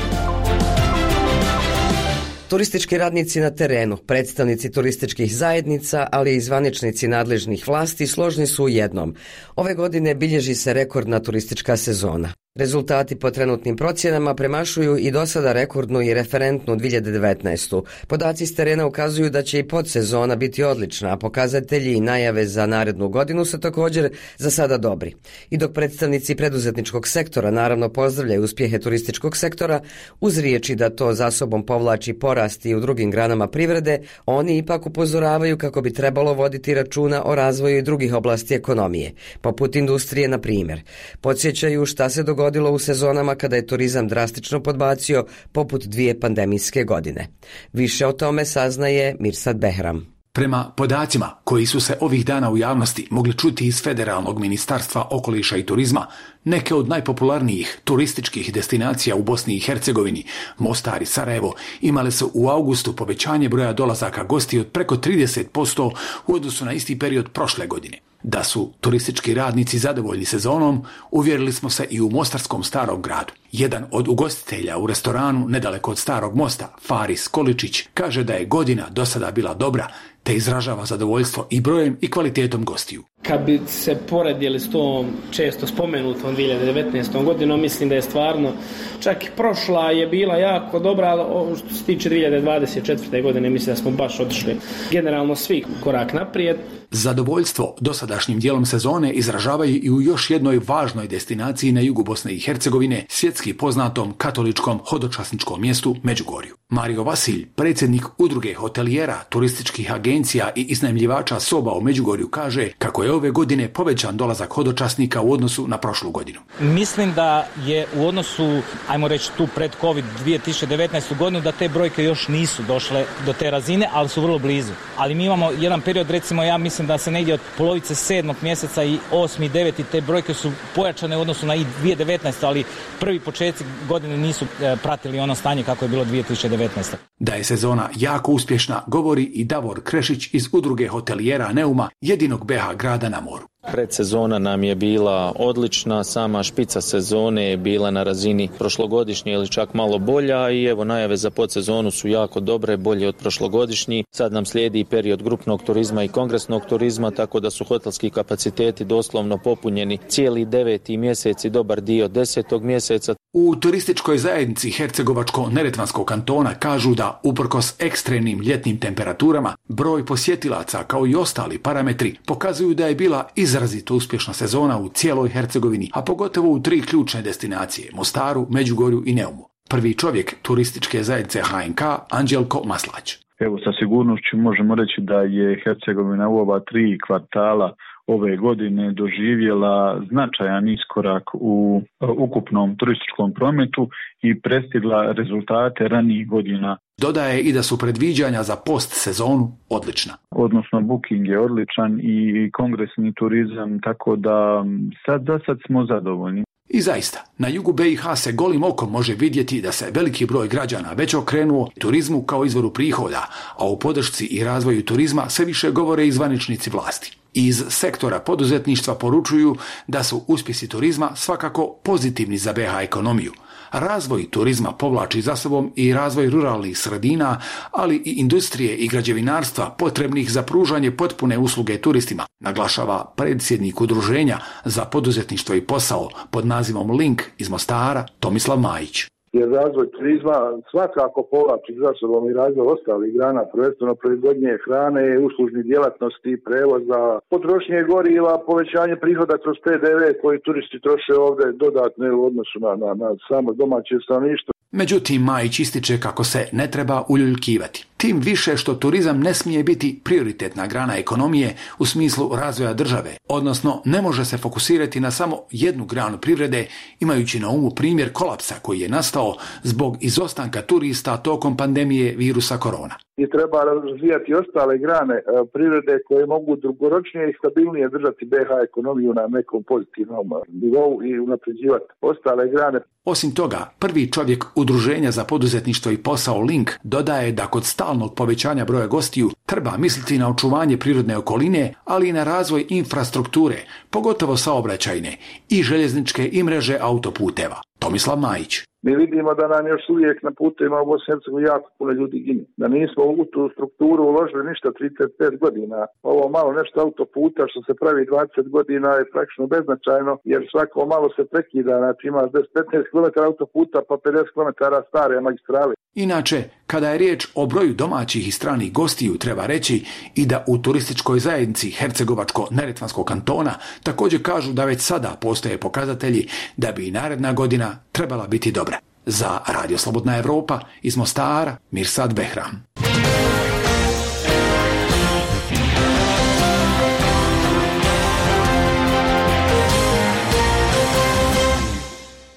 Turistički radnici na terenu, predstavnici turističkih zajednica, ali i zvaničnici nadležnih vlasti složni su u jednom. Ove godine bilježi se rekordna turistička sezona. Rezultati po trenutnim procjenama premašuju i do sada rekordnu i referentnu dvije hiljade devetnaestu. Podaci s terena ukazuju da će i podsezona biti odlična, a pokazatelji i najave za narednu godinu su također za sada dobri. I dok predstavnici preduzetničkog sektora naravno pozdravljaju uspjehe turističkog sektora, uz riječi da to za sobom povlači porast i u drugim granama privrede, oni ipak upozoravaju kako bi trebalo voditi računa o razvoju i drugih oblasti ekonomije, poput industrije na primjer. Podsjećaju šta se dogodilo u sezonama kada je turizam drastično podbacio poput dvije pandemijske godine. Više o tome saznaje Mirsad Behram. Prema podacima koji su se ovih dana u javnosti mogli čuti iz Federalnog ministarstva okoliša i turizma, neke od najpopularnijih turističkih destinacija u Bosni i Hercegovini, Mostar i Sarajevo, imale su u augustu povećanje broja dolazaka gosti od preko trideset posto u odnosu na isti period prošle godine. Da su turistički radnici zadovoljni sezonom, uvjerili smo se i u mostarskom Starom gradu. Jedan od ugostitelja u restoranu nedaleko od Starog mosta, Faris Količić, kaže da je godina do sada bila dobra, te izražava zadovoljstvo i brojem i kvalitetom gostiju. Kad bi se poredili s tom često spomenutom dvije hiljade devetnaestom godinom, mislim da je stvarno, čak i prošla je bila jako dobra, ali što se tiče dvije hiljade dvadeset četvrte godine, mislim da smo baš otišli generalno svi korak naprijed. Zadovoljstvo dosadašnjim dijelom sezone izražavaju i u još jednoj važnoj destinaciji na jugu Bosne i Hercegovine, svjetski poznatom katoličkom hodočasničkom mjestu Međugorju. Mario Vasilj, predsjednik udruge hotelijera, turističkih agencija i iznajmljivača soba u Međugorju, kaže kako je ove godine povećan dolazak hodočasnika u odnosu na prošlu godinu. Mislim da je u odnosu, ajmo reći tu pred COVID dvije tisuće devetnaestu godinu, da te brojke još nisu došle do te razine, ali su vrlo blizu. Ali mi imamo jedan period, recimo ja mislim da se negdje od polovice sedmog mjeseca i osmi i deveti te brojke su pojačane u odnosu na i dvije tisuće devetnaestu. ali prvi početci godine nisu pratili ono stanje kako je bilo dvije tisuće devetnaeste. Da je sezona jako uspješna govori i Davor Krešić iz udruge hotelijera Neuma, jedinog B H grada na moru. Predsezona nam je bila odlična, sama špica sezone je bila na razini prošlogodišnje ili čak malo bolja i evo najave za podsezonu su jako dobre, bolje od prošlogodišnjih. Sad nam slijedi period grupnog turizma i kongresnog turizma, tako da su hotelski kapaciteti doslovno popunjeni cijeli deveti mjesec i dobar dio desetog mjeseca. U turističkoj zajednici Hercegovačko-neretvanskog kantona kažu da uprkos ekstremnim ljetnim temperaturama, broj posjetilaca kao i ostali parametri pokazuju da je bila izrazito uspješna sezona u cijeloj Hercegovini, a pogotovo u tri ključne destinacije, Mostaru, Međugorju i Neumu. Prvi čovjek turističke zajednice H N K, Anđelko Maslać. Evo, sa sigurnošću možemo reći da je Hercegovina u ova tri kvartala ove godine doživjela značajan iskorak u ukupnom turističkom prometu i prestigla rezultate ranijih godina. Dodaje i da su predviđanja za post sezonu odlična. Odnosno booking je odličan i kongresni turizam, tako da sad za sad smo zadovoljni. I zaista, na jugu B i H se golim okom može vidjeti da se veliki broj građana već okrenuo turizmu kao izvoru prihoda, a u podršci i razvoju turizma sve više govore i zvaničnici vlasti. Iz sektora poduzetništva poručuju da su uspjesi turizma svakako pozitivni za B H ekonomiju. Razvoj turizma povlači za sobom i razvoj ruralnih sredina, ali i industrije i građevinarstva potrebnih za pružanje potpune usluge turistima, naglašava predsjednik udruženja za poduzetništvo i posao pod nazivom Link iz Mostara Tomislav Majić. Jer razvoj turizma svakako povlači za sobom i razvoj ostalih grana, prvenstveno proizvodnje hrane, uslužnih djelatnosti, prevoza, potrošnje goriva, povećanje prihoda kroz P D V koji turisti troše ovdje dodatno u odnosu na, na, na samo domaće stanovništvo. Međutim, Majić ističe kako se ne treba uljuljkivati. Tim više što turizam ne smije biti prioritetna grana ekonomije u smislu razvoja države, odnosno ne može se fokusirati na samo jednu granu privrede, imajući na umu primjer kolapsa koji je nastao zbog izostanka turista tokom pandemije virusa korona. I treba razvijati ostale grane privrede koje mogu dugoročnije i stabilnije držati B H ekonomiju na nekom pozitivnom nivou i unapređivati ostale grane. Osim toga, prvi čovjek udruženja za poduzetništvo i posao Link dodaje da kod stalnog povećanja broja gostiju treba misliti na očuvanje prirodne okoline, ali i na razvoj infrastrukture, pogotovo saobraćajne i željezničke i mreže autoputeva. Tomislav Majić. Mi vidimo da nam još uvijek na putevima u Bosni i Hercegovini jako puno ljudi gine. Da nismo u tu strukturu uložili ništa trideset pet godina. Ovo malo nešto autoputa što se pravi dvadeset godina je praktično beznačajno, jer svako malo se prekida. Znači ima deset do petnaest kilometara autoputa pa pedeset kilometara stare magistrale. Inače, kada je riječ o broju domaćih i stranih gostiju, treba reći i da u turističkoj zajednici Hercegovačko-neretvanskog kantona također kažu da već sada postoje pokazatelji da bi i naredna godina trebala biti dobra. Za Radio Slobodna Evropa iz Mostara, Mirsad Behram.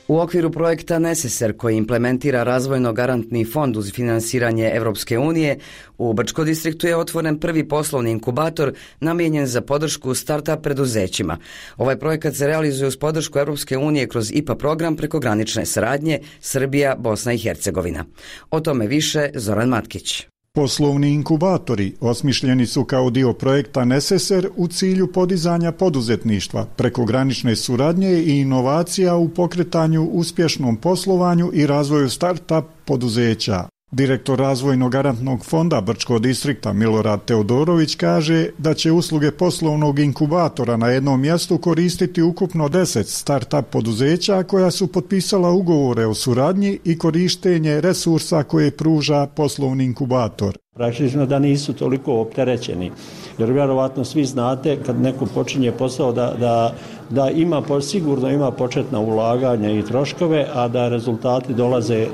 U okviru projekta Neseser koji implementira razvojno-garantni fond uz finansiranje Evropske unije, u Brčko distriktu je otvoren prvi poslovni inkubator namijenjen za podršku start-up preduzećima. Ovaj projekat se realizuje uz podršku Evropske unije kroz I P A program prekogranične saradnje Srbija, Bosna i Hercegovina. O tome više Zoran Matkić. Poslovni inkubatori osmišljeni su kao dio projekta Neseser u cilju podizanja poduzetništva, prekogranične suradnje i inovacija u pokretanju uspješnom poslovanju i razvoju start-up poduzeća. Direktor razvojnog garantnog fonda Brčkog distrikta Milorad Teodorović kaže da će usluge poslovnog inkubatora na jednom mjestu koristiti ukupno deset start-up poduzeća koja su potpisala ugovore o suradnji i korištenje resursa koje pruža poslovni inkubator. Praktično da nisu toliko opterećeni, jer vjerovatno svi znate kad neko počinje posao da, da, da ima, sigurno ima početna ulaganja i troškove, a da rezultati dolaze e,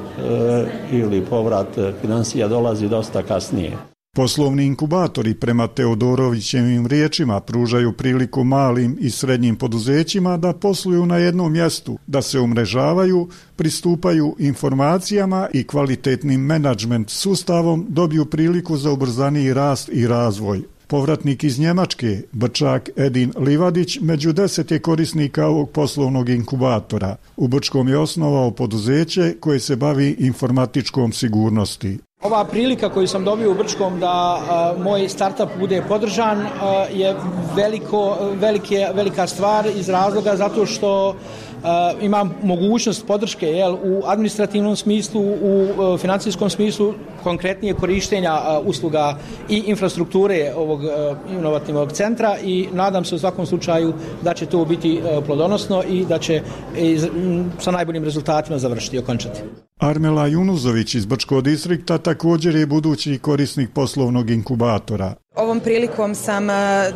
ili povrat financija dolazi dosta kasnije. Poslovni inkubatori prema Teodorovićevim riječima pružaju priliku malim i srednjim poduzećima da posluju na jednom mjestu, da se umrežavaju, pristupaju informacijama i kvalitetnim menadžment sustavom dobiju priliku za ubrzaniji rast i razvoj. Povratnik iz Njemačke, Brčak Edin Livadić, među deset je korisnika ovog poslovnog inkubatora. U Brčkom je osnovao poduzeće koje se bavi informatičkom sigurnosti. Ova prilika koju sam dobio u Brčkom da a, moj startup bude podržan a, je veliko, velike, velika stvar iz razloga zato što a, imam mogućnost podrške jel, u administrativnom smislu, u a, financijskom smislu, konkretnije korištenja a, usluga i infrastrukture ovog a, inovativnog centra i nadam se u svakom slučaju da će to biti a, plodonosno i da će iz, m, sa najboljim rezultatima završiti i okončati. Armela Junuzović iz Brčkog distrikta također je budući korisnik poslovnog inkubatora. Ovom prilikom sam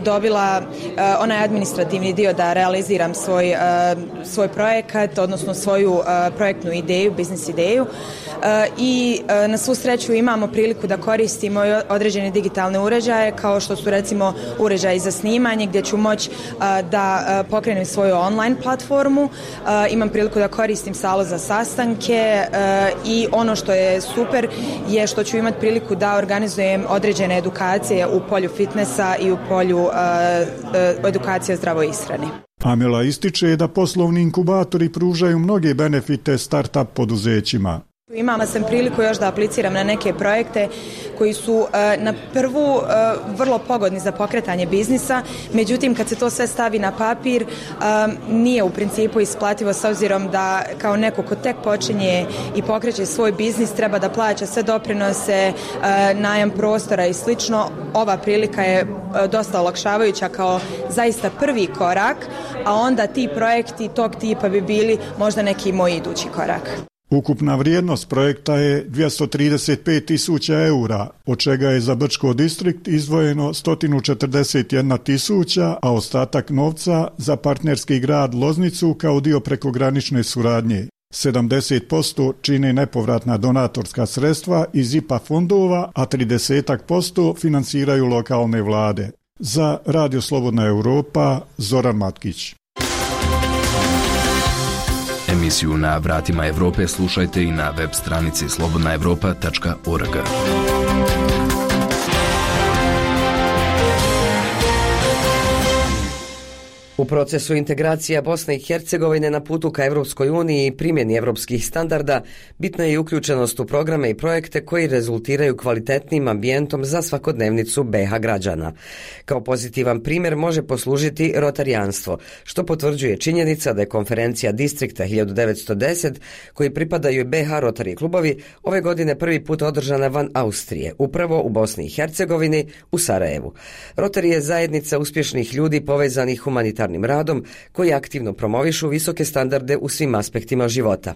dobila onaj administrativni dio da realiziram svoj, svoj projekat, odnosno svoju projektnu ideju, biznis ideju i na svu sreću imamo priliku da koristimo određene digitalne uređaje kao što su recimo uređaji za snimanje gdje ću moći da pokrenem svoju online platformu, imam priliku da koristim salu za sastanke i ono što je super je što ću imati priliku da organizujem određene edukacije u polju fitnessa i u polju uh, uh, edukacije o zdravoj ishrani. Amela ističe da poslovni inkubatori pružaju mnoge benefite start-up poduzećima. Imala sam priliku još da apliciram na neke projekte koji su uh, na prvu uh, vrlo pogodni za pokretanje biznisa, međutim kad se to sve stavi na papir uh, nije u principu isplativo s obzirom da kao neko ko tek počinje i pokreće svoj biznis treba da plaća sve doprinose, uh, najam prostora i slično. Ova prilika je uh, dosta olakšavajuća kao zaista prvi korak, a onda ti projekti tog tipa bi bili možda neki moj idući korak. Ukupna vrijednost projekta je dvjesto trideset pet tisuća eura, od čega je za Brčko distrikt izdvojeno sto četrdeset jedna tisuća, a ostatak novca za partnerski grad Loznicu kao dio prekogranične suradnje. sedamdeset posto čine nepovratna donatorska sredstva iz I P A fondova, a trideset posto financiraju lokalne vlade. Za Radio Slobodna Europa, Zoran Matkić. Emisiju Na vratima Evrope slušajte i na web stranici slobodna evropa tačka org. U procesu integracija Bosne i Hercegovine na putu ka Evropskoj uniji i primjeni evropskih standarda bitna je i uključenost u programe i projekte koji rezultiraju kvalitetnim ambijentom za svakodnevnicu B iH građana. Kao pozitivan primjer može poslužiti rotarijanstvo, što potvrđuje činjenica da je konferencija Distrikta hiljadu devetsto deset, koji pripadaju B iH Rotary klubovi, ove godine prvi put održana van Austrije, upravo u Bosni i Hercegovini, u Sarajevu. Rotary je zajednica uspješnih ljudi povezanih humanitarnim radom koji aktivno promovišu visoke standarde u svim aspektima života.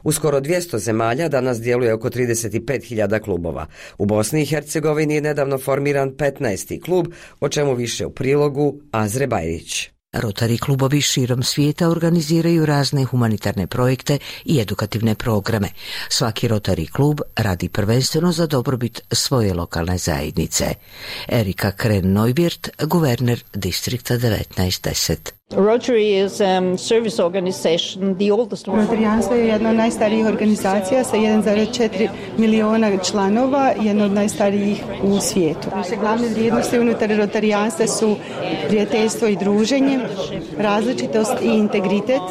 U skoro dvjesto zemalja danas djeluje oko trideset pet hiljada klubova. U Bosni i Hercegovini je nedavno formiran petnaesti klub, o čemu više u prilogu Azre Bajrić. Rotary klubovi širom svijeta organiziraju razne humanitarne projekte i edukativne programe. Svaki Rotary klub radi prvenstveno za dobrobit svoje lokalne zajednice. Erika Kren-Neubert, guverner distrikta devetnaest deset. Rotary is um, service organization, the oldest one. Rotarijanstvo je jedna od najstarijih organizacija sa jedan zarez četiri miliona članova, jedna od najstarijih u svijetu. Naše glavne vrijednosti unutar rotarijanstva su prijateljstvo i druženje, različitost i integritet,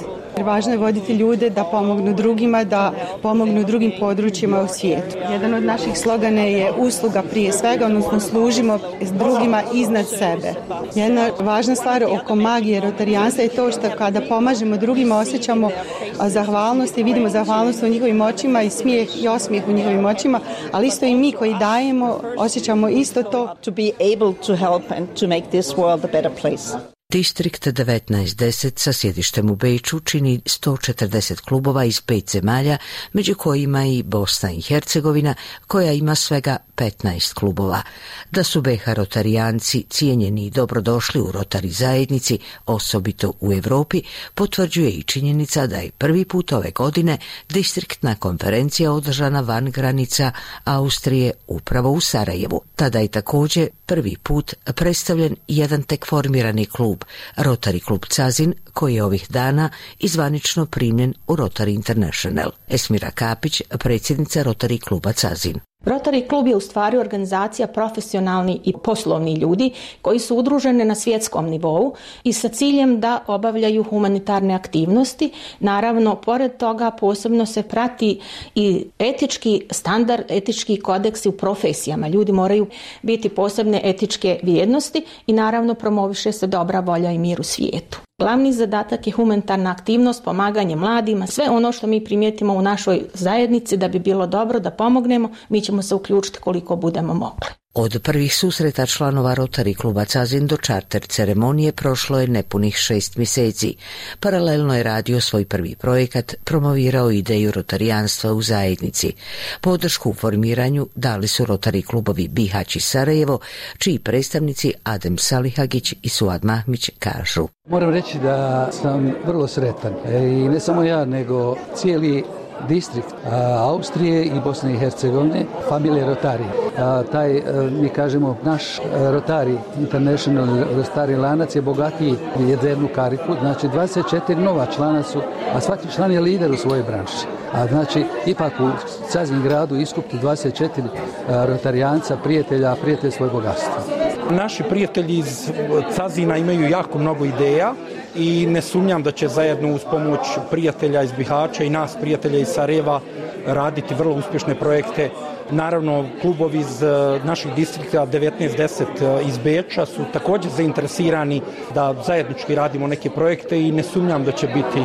Važno je voditi ljude da pomognu drugima, da pomognu drugim područjima u svijetu. Jedan od naših slogana je usluga prije svega, odnosno služimo drugima iznad sebe. Jedna važna stvar oko magije rotarijanstva je to što kada pomažemo drugima osjećamo zahvalnost i vidimo zahvalnost u njihovim očima i smijeh i osmijeh u njihovim očima, ali isto i mi koji dajemo osjećamo isto to. To be able to help and to make this world a better place. Distrikt devetnaest deset sa sjedištem u Beču čini sto četrdeset klubova iz pet zemalja, među kojima i Bosna i Hercegovina, koja ima svega petnaest klubova. Da su be ha rotarijanci cijenjeni i dobrodošli u Rotari zajednici, osobito u Europi, potvrđuje i činjenica da je prvi put ove godine distriktna konferencija održana van granica Austrije upravo u Sarajevu. Tada je također prvi put predstavljen jedan tek formirani klub, Rotary klub Cazin, koji je ovih dana izvanično primljen u Rotary International. Esmira Kapić, predsjednica Rotary kluba Cazin. Rotary klub je u stvari organizacija profesionalni i poslovni ljudi koji su udruženi na svjetskom nivou i sa ciljem da obavljaju humanitarne aktivnosti. Naravno, pored toga posebno se prati i etički standard, etički kodeksi u profesijama. Ljudi moraju biti posebne etičke vrijednosti i naravno promoviše se dobra volja i mir u svijetu. Glavni zadatak je humanitarna aktivnost, pomaganje mladima, sve ono što mi primijetimo u našoj zajednici da bi bilo dobro da pomognemo, mi ćemo se uključiti koliko budemo mogli. Od prvih susreta članova Rotary kluba Cazin do čarter ceremonije prošlo je nepunih šest mjeseci. Paralelno je radio svoj prvi projekat, promovirao ideju rotarijanstva u zajednici. Podršku u formiranju dali su Rotary klubovi Bihać i Sarajevo, čiji predstavnici Adem Salihagić i Suad Mahmić kažu. Moram reći da sam vrlo sretan i ne samo ja, nego cijeli distrikt Austrije i Bosne i Hercegovine, familije Rotari. A, taj, mi kažemo, naš Rotary International Rotary lanac je bogatiji jednu kariku, znači dvadeset četiri nova člana su, a svaki član je lider u svojoj branši. A znači, ipak u Cazin gradu iskupiti dvadeset četiri rotarijanca, prijatelja, prijatelj svoje bogatstvo. Naši prijatelji iz Cazina imaju jako mnogo ideja i ne sumnjam da će zajedno uz pomoć prijatelja iz Bihaća i nas prijatelja iz Sarajeva raditi vrlo uspješne projekte. Naravno, klubovi iz naših distrikta devetnaest deset iz Beča su također zainteresirani da zajednički radimo neke projekte i ne sumnjam da će biti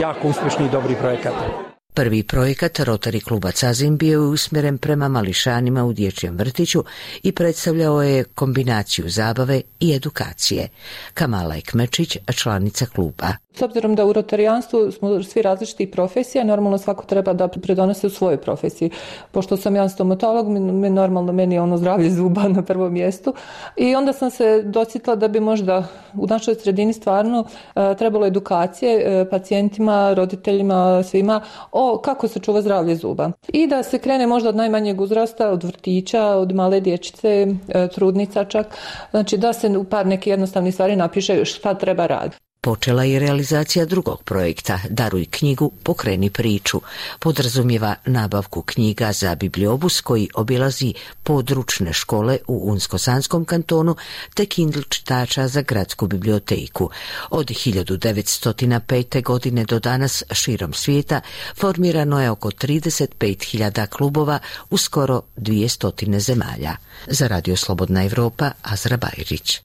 jako uspješni i dobri projekati. Prvi projekat Rotary kluba Cazin bio je usmjeren prema mališanima u dječjem vrtiću i predstavljao je kombinaciju zabave i edukacije. Kamala Ekmečić, članica kluba. S obzirom da u rotarijanstvu smo svi različitih profesija, normalno svako treba da pridonese u svojoj profesiji. Pošto sam ja stomatolog, mi, normalno meni je ono zdravlje zuba na prvom mjestu. I onda sam se dosjetila da bi možda u našoj sredini stvarno uh, trebalo edukacije uh, pacijentima, roditeljima, svima o kako se čuva zdravlje zuba. I da se krene možda od najmanjeg uzrasta, od vrtića, od male dječice, uh, trudnica čak. Znači da se u par neke jednostavne stvari napiše šta treba raditi. Počela je realizacija drugog projekta Daruj knjigu, pokreni priču. Podrazumijeva nabavku knjiga za bibliobus koji obilazi područne škole u Unsko-Sanskom kantonu te Kindle čitača za gradsku biblioteku. Od hiljadu devetsto pete. godine do danas širom svijeta formirano je oko trideset pet hiljada klubova u skoro dvjesto zemalja. Za Radio Slobodna Evropa, Azra Bajrić.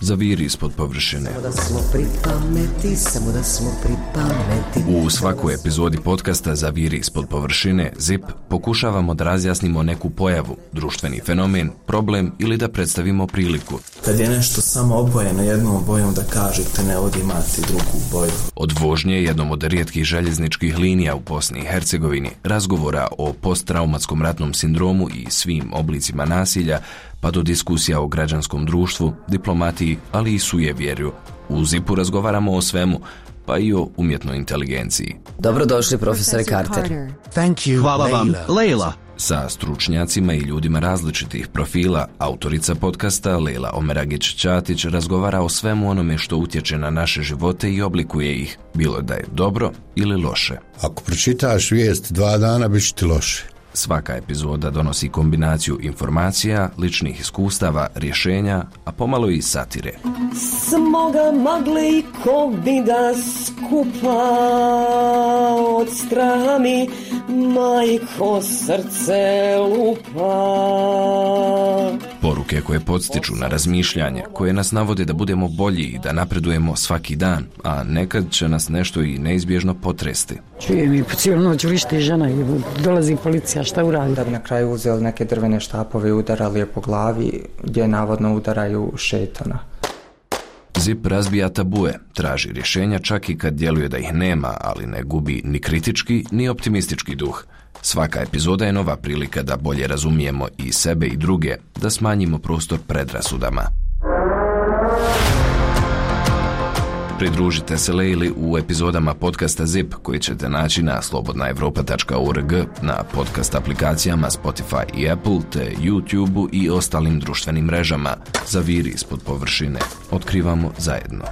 Zaviri ispod površine. U svakoj epizodi podcasta Zaviri ispod površine Zip pokušavamo da razjasnimo neku pojavu, društveni fenomen, problem ili da predstavimo priliku. Kad je nešto samo obojeno jednom bojom da kažete ne ovdje imati drugu boju. Od vožnje jednom od rijetkih željezničkih linija u Bosni i Hercegovini, razgovora o posttraumatskom ratnom sindromu i svim oblicima nasilja, pa do diskusija o građanskom društvu, diplomatiji, ali i sujevjerju. U Zipu razgovaramo o svemu, pa i o umjetnoj inteligenciji. Dobrodošli, profesore Carter. Thank you, Hvala vam, Leila. Sa stručnjacima i ljudima različitih profila, autorica podcasta Leila Omeragić-Ćatić razgovara o svemu onome što utječe na naše živote i oblikuje ih, bilo da je dobro ili loše. Ako pročitaš vijest dva dana, bit će ti loše. Svaka epizoda donosi kombinaciju informacija, ličnih iskustava, rješenja, a pomalo i satire. Smoga magle i kovida skupa od straha mi majko srce lupa. Poruke koje podstiču na razmišljanje, koje nas navode da budemo bolji i da napredujemo svaki dan, a nekad će nas nešto i neizbježno potresti. Čujem i po cijelu noć vrišti žena i dolazi policija, šta uradi? Da bi na kraju uzeli neke drvene štapove i udarali je po glavi, gdje navodno udaraju šetana. Zip razbija tabue, traži rješenja čak i kad djeluje da ih nema, ali ne gubi ni kritički, ni optimistički duh. Svaka epizoda je nova prilika da bolje razumijemo i sebe i druge, da smanjimo prostor predrasudama. Pridružite se Lejli u epizodama podcasta Zip koji ćete naći na slobodna europa tačka org, na podcast aplikacijama Spotify i Apple, te YouTube i ostalim društvenim mrežama. Zaviri ispod površine. Otkrivamo zajedno.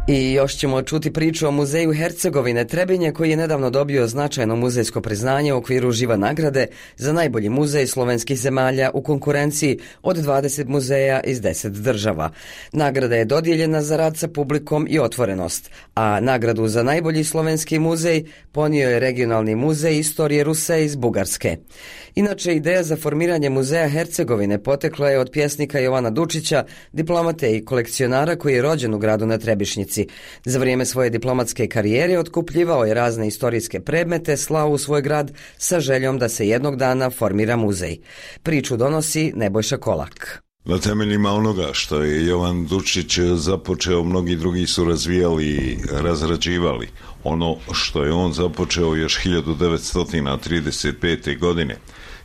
I još ćemo čuti priču o muzeju Hercegovine Trebinje koji je nedavno dobio značajno muzejsko priznanje u okviru Živa nagrade za najbolji muzej slovenskih zemalja u konkurenciji od dvadeset muzeja iz deset država. Nagrada je dodijeljena za rad sa publikom i otvorenost, a nagradu za najbolji slovenski muzej ponio je regionalni muzej istorije Ruse iz Bugarske. Inače, ideja za formiranje muzeja Hercegovine potekla je od pjesnika Jovana Dučića, diplomate i kolekcionara koji je rođen u gradu na Trebišnjici. Za vrijeme svoje diplomatske karijere otkupljivao je razne istorijske predmete, slao u svoj grad sa željom da se jednog dana formira muzej. Priču donosi Nebojša Kolak. Na temeljima onoga što je Jovan Dučić započeo, mnogi drugi su razvijali i razrađivali. Ono što je on započeo još hiljadu devetsto trideset pete. godine.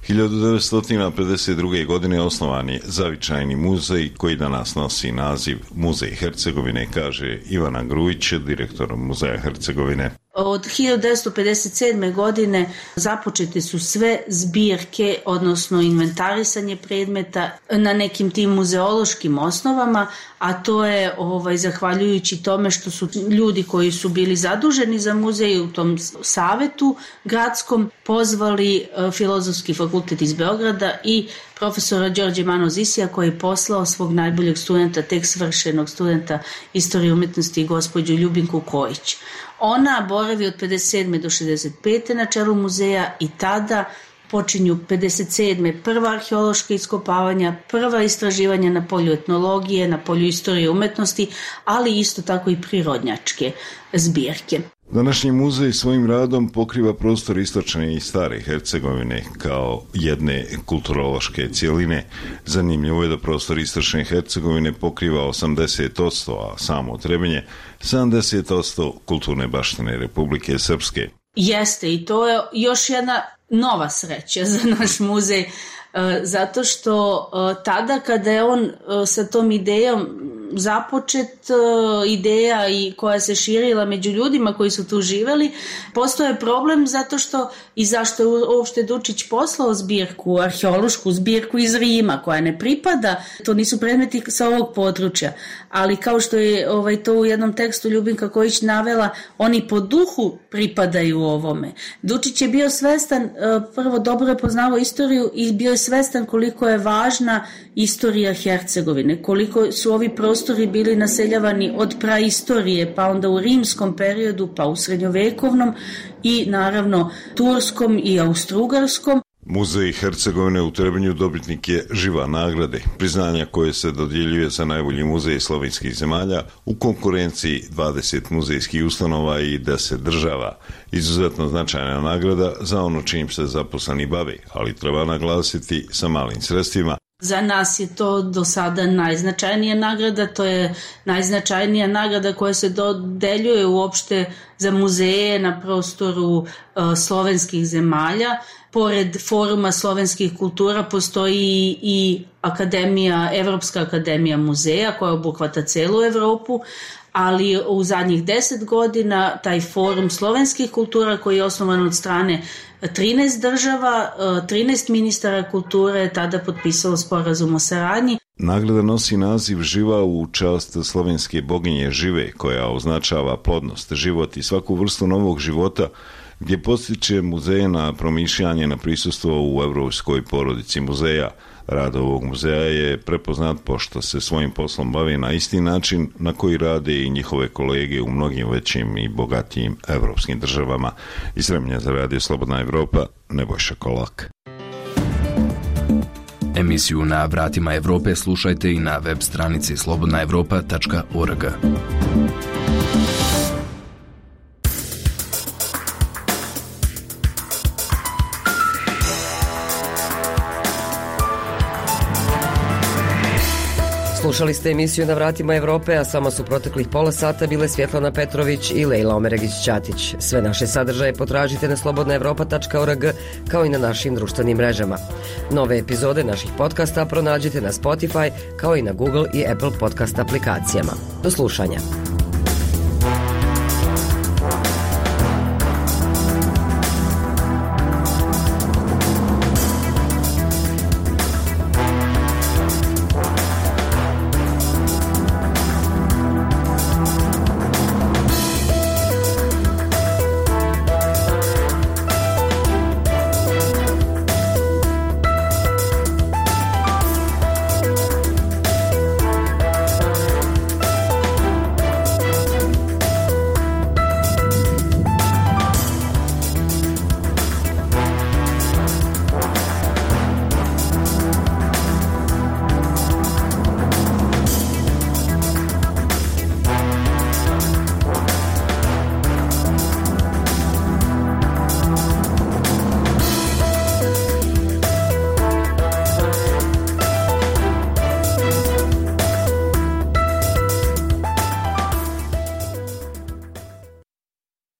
hiljadu devetsto pedeset druge. godine osnovan je zavičajni muzej koji danas nosi naziv Muzej Hercegovine, kaže Ivana Grujić, direktor Muzeja Hercegovine. Od hiljadu devetsto pedeset sedme. godine započete su sve zbirke, odnosno inventarisanje predmeta na nekim tim muzeološkim osnovama, a to je ovaj, zahvaljujući tome što su ljudi koji su bili zaduženi za muzej u tom savetu gradskom pozvali uh, Filozofski fakultet iz Beograda i profesora Đorđe Mano Zisija koji je poslao svog najboljeg studenta, tek svršenog studenta istorije umjetnosti, gospođu Ljubinku Kojić. Ona boravi od pedeset sedme do šezdeset pete na čelu muzeja i tada počinju pedeset sedme prva arheološka iskopavanja, prva istraživanja na polju etnologije, na polju istorije umjetnosti, ali isto tako i prirodnjačke zbirke. Današnji muzej svojim radom pokriva prostor istočne i stare Hercegovine kao jedne kulturološke cjeline. Zanimljivo je da prostor istočne Hercegovine pokriva osamdeset posto, a samo Trebinje sedamdeset posto kulturne baštine Republike Srpske. Jeste, i to je još jedna nova sreća za naš muzej, zato što tada kada je on sa tom idejom započet, ideja i koja se širila među ljudima koji su tu živjeli, postoje problem zato što i zašto je uopšte Dučić poslao zbirku, arheološku zbirku iz Rima koja ne pripada, to nisu predmeti sa ovog područja, ali kao što je ovaj, to u jednom tekstu Ljubinka Kojić navela, oni po duhu pripadaju ovome. Dučić je bio svestan, prvo dobro je poznavao istoriju i bio je svestan koliko je važna istorija Hercegovine, koliko su ovi prostori bili naseljavani od praistorije, pa onda u rimskom periodu, pa u srednjovekovnom i naravno turskom i austrougarskom. Muzej Hercegovine u Trebinju dobitnik je Živa nagrade, priznanja koje se dodjeljuje za najbolji muzej slovenskih zemalja u konkurenciji dvadeset muzejskih ustanova i deset država. Izuzetno značajna nagrada za ono čim se zaposleni bave, ali treba naglasiti sa malim sredstvima. Za nas je to do sada najznačajnija nagrada, to je najznačajnija nagrada koja se dodeljuje uopšte za muzeje na prostoru uh, slovenskih zemalja. Pored Foruma slovenskih kultura postoji i akademija, Evropska akademija muzeja koja obuhvata celu Evropu, ali u zadnjih deset godina taj Forum slovenskih kultura koji je osnovan od strane trinaest država, trinaest ministara kulture je tada potpisalo sporazum o saradnji. Nagrada nosi naziv Živa u čast slovenske boginje Žive, koja označava plodnost, život i svaku vrstu novog života, gdje postiče muzej na promišljanje na prisustvo u evropskoj porodici muzeja. Rad ovog muzeja je prepoznat pošto se svojim poslom bavi na isti način na koji rade i njihove kolege u mnogim većim i bogatijim evropskim državama. Iz Sremlja za Radio Slobodna Evropa, Nebojša Kolak. Emisiju Na vratima Evrope slušajte i na web stranici slobodna evropa tačka org. Slušali ste emisiju Na vratima Evrope, a samo su proteklih pola sata bile Svjetlana Petrović i Lejla Omeregić-Ćatić. Sve naše sadržaje potražite na slobodna evropa tačka org kao i na našim društvenim mrežama. Nove epizode naših podcasta pronađite na Spotify kao i na Google i Apple podcast aplikacijama. Do slušanja.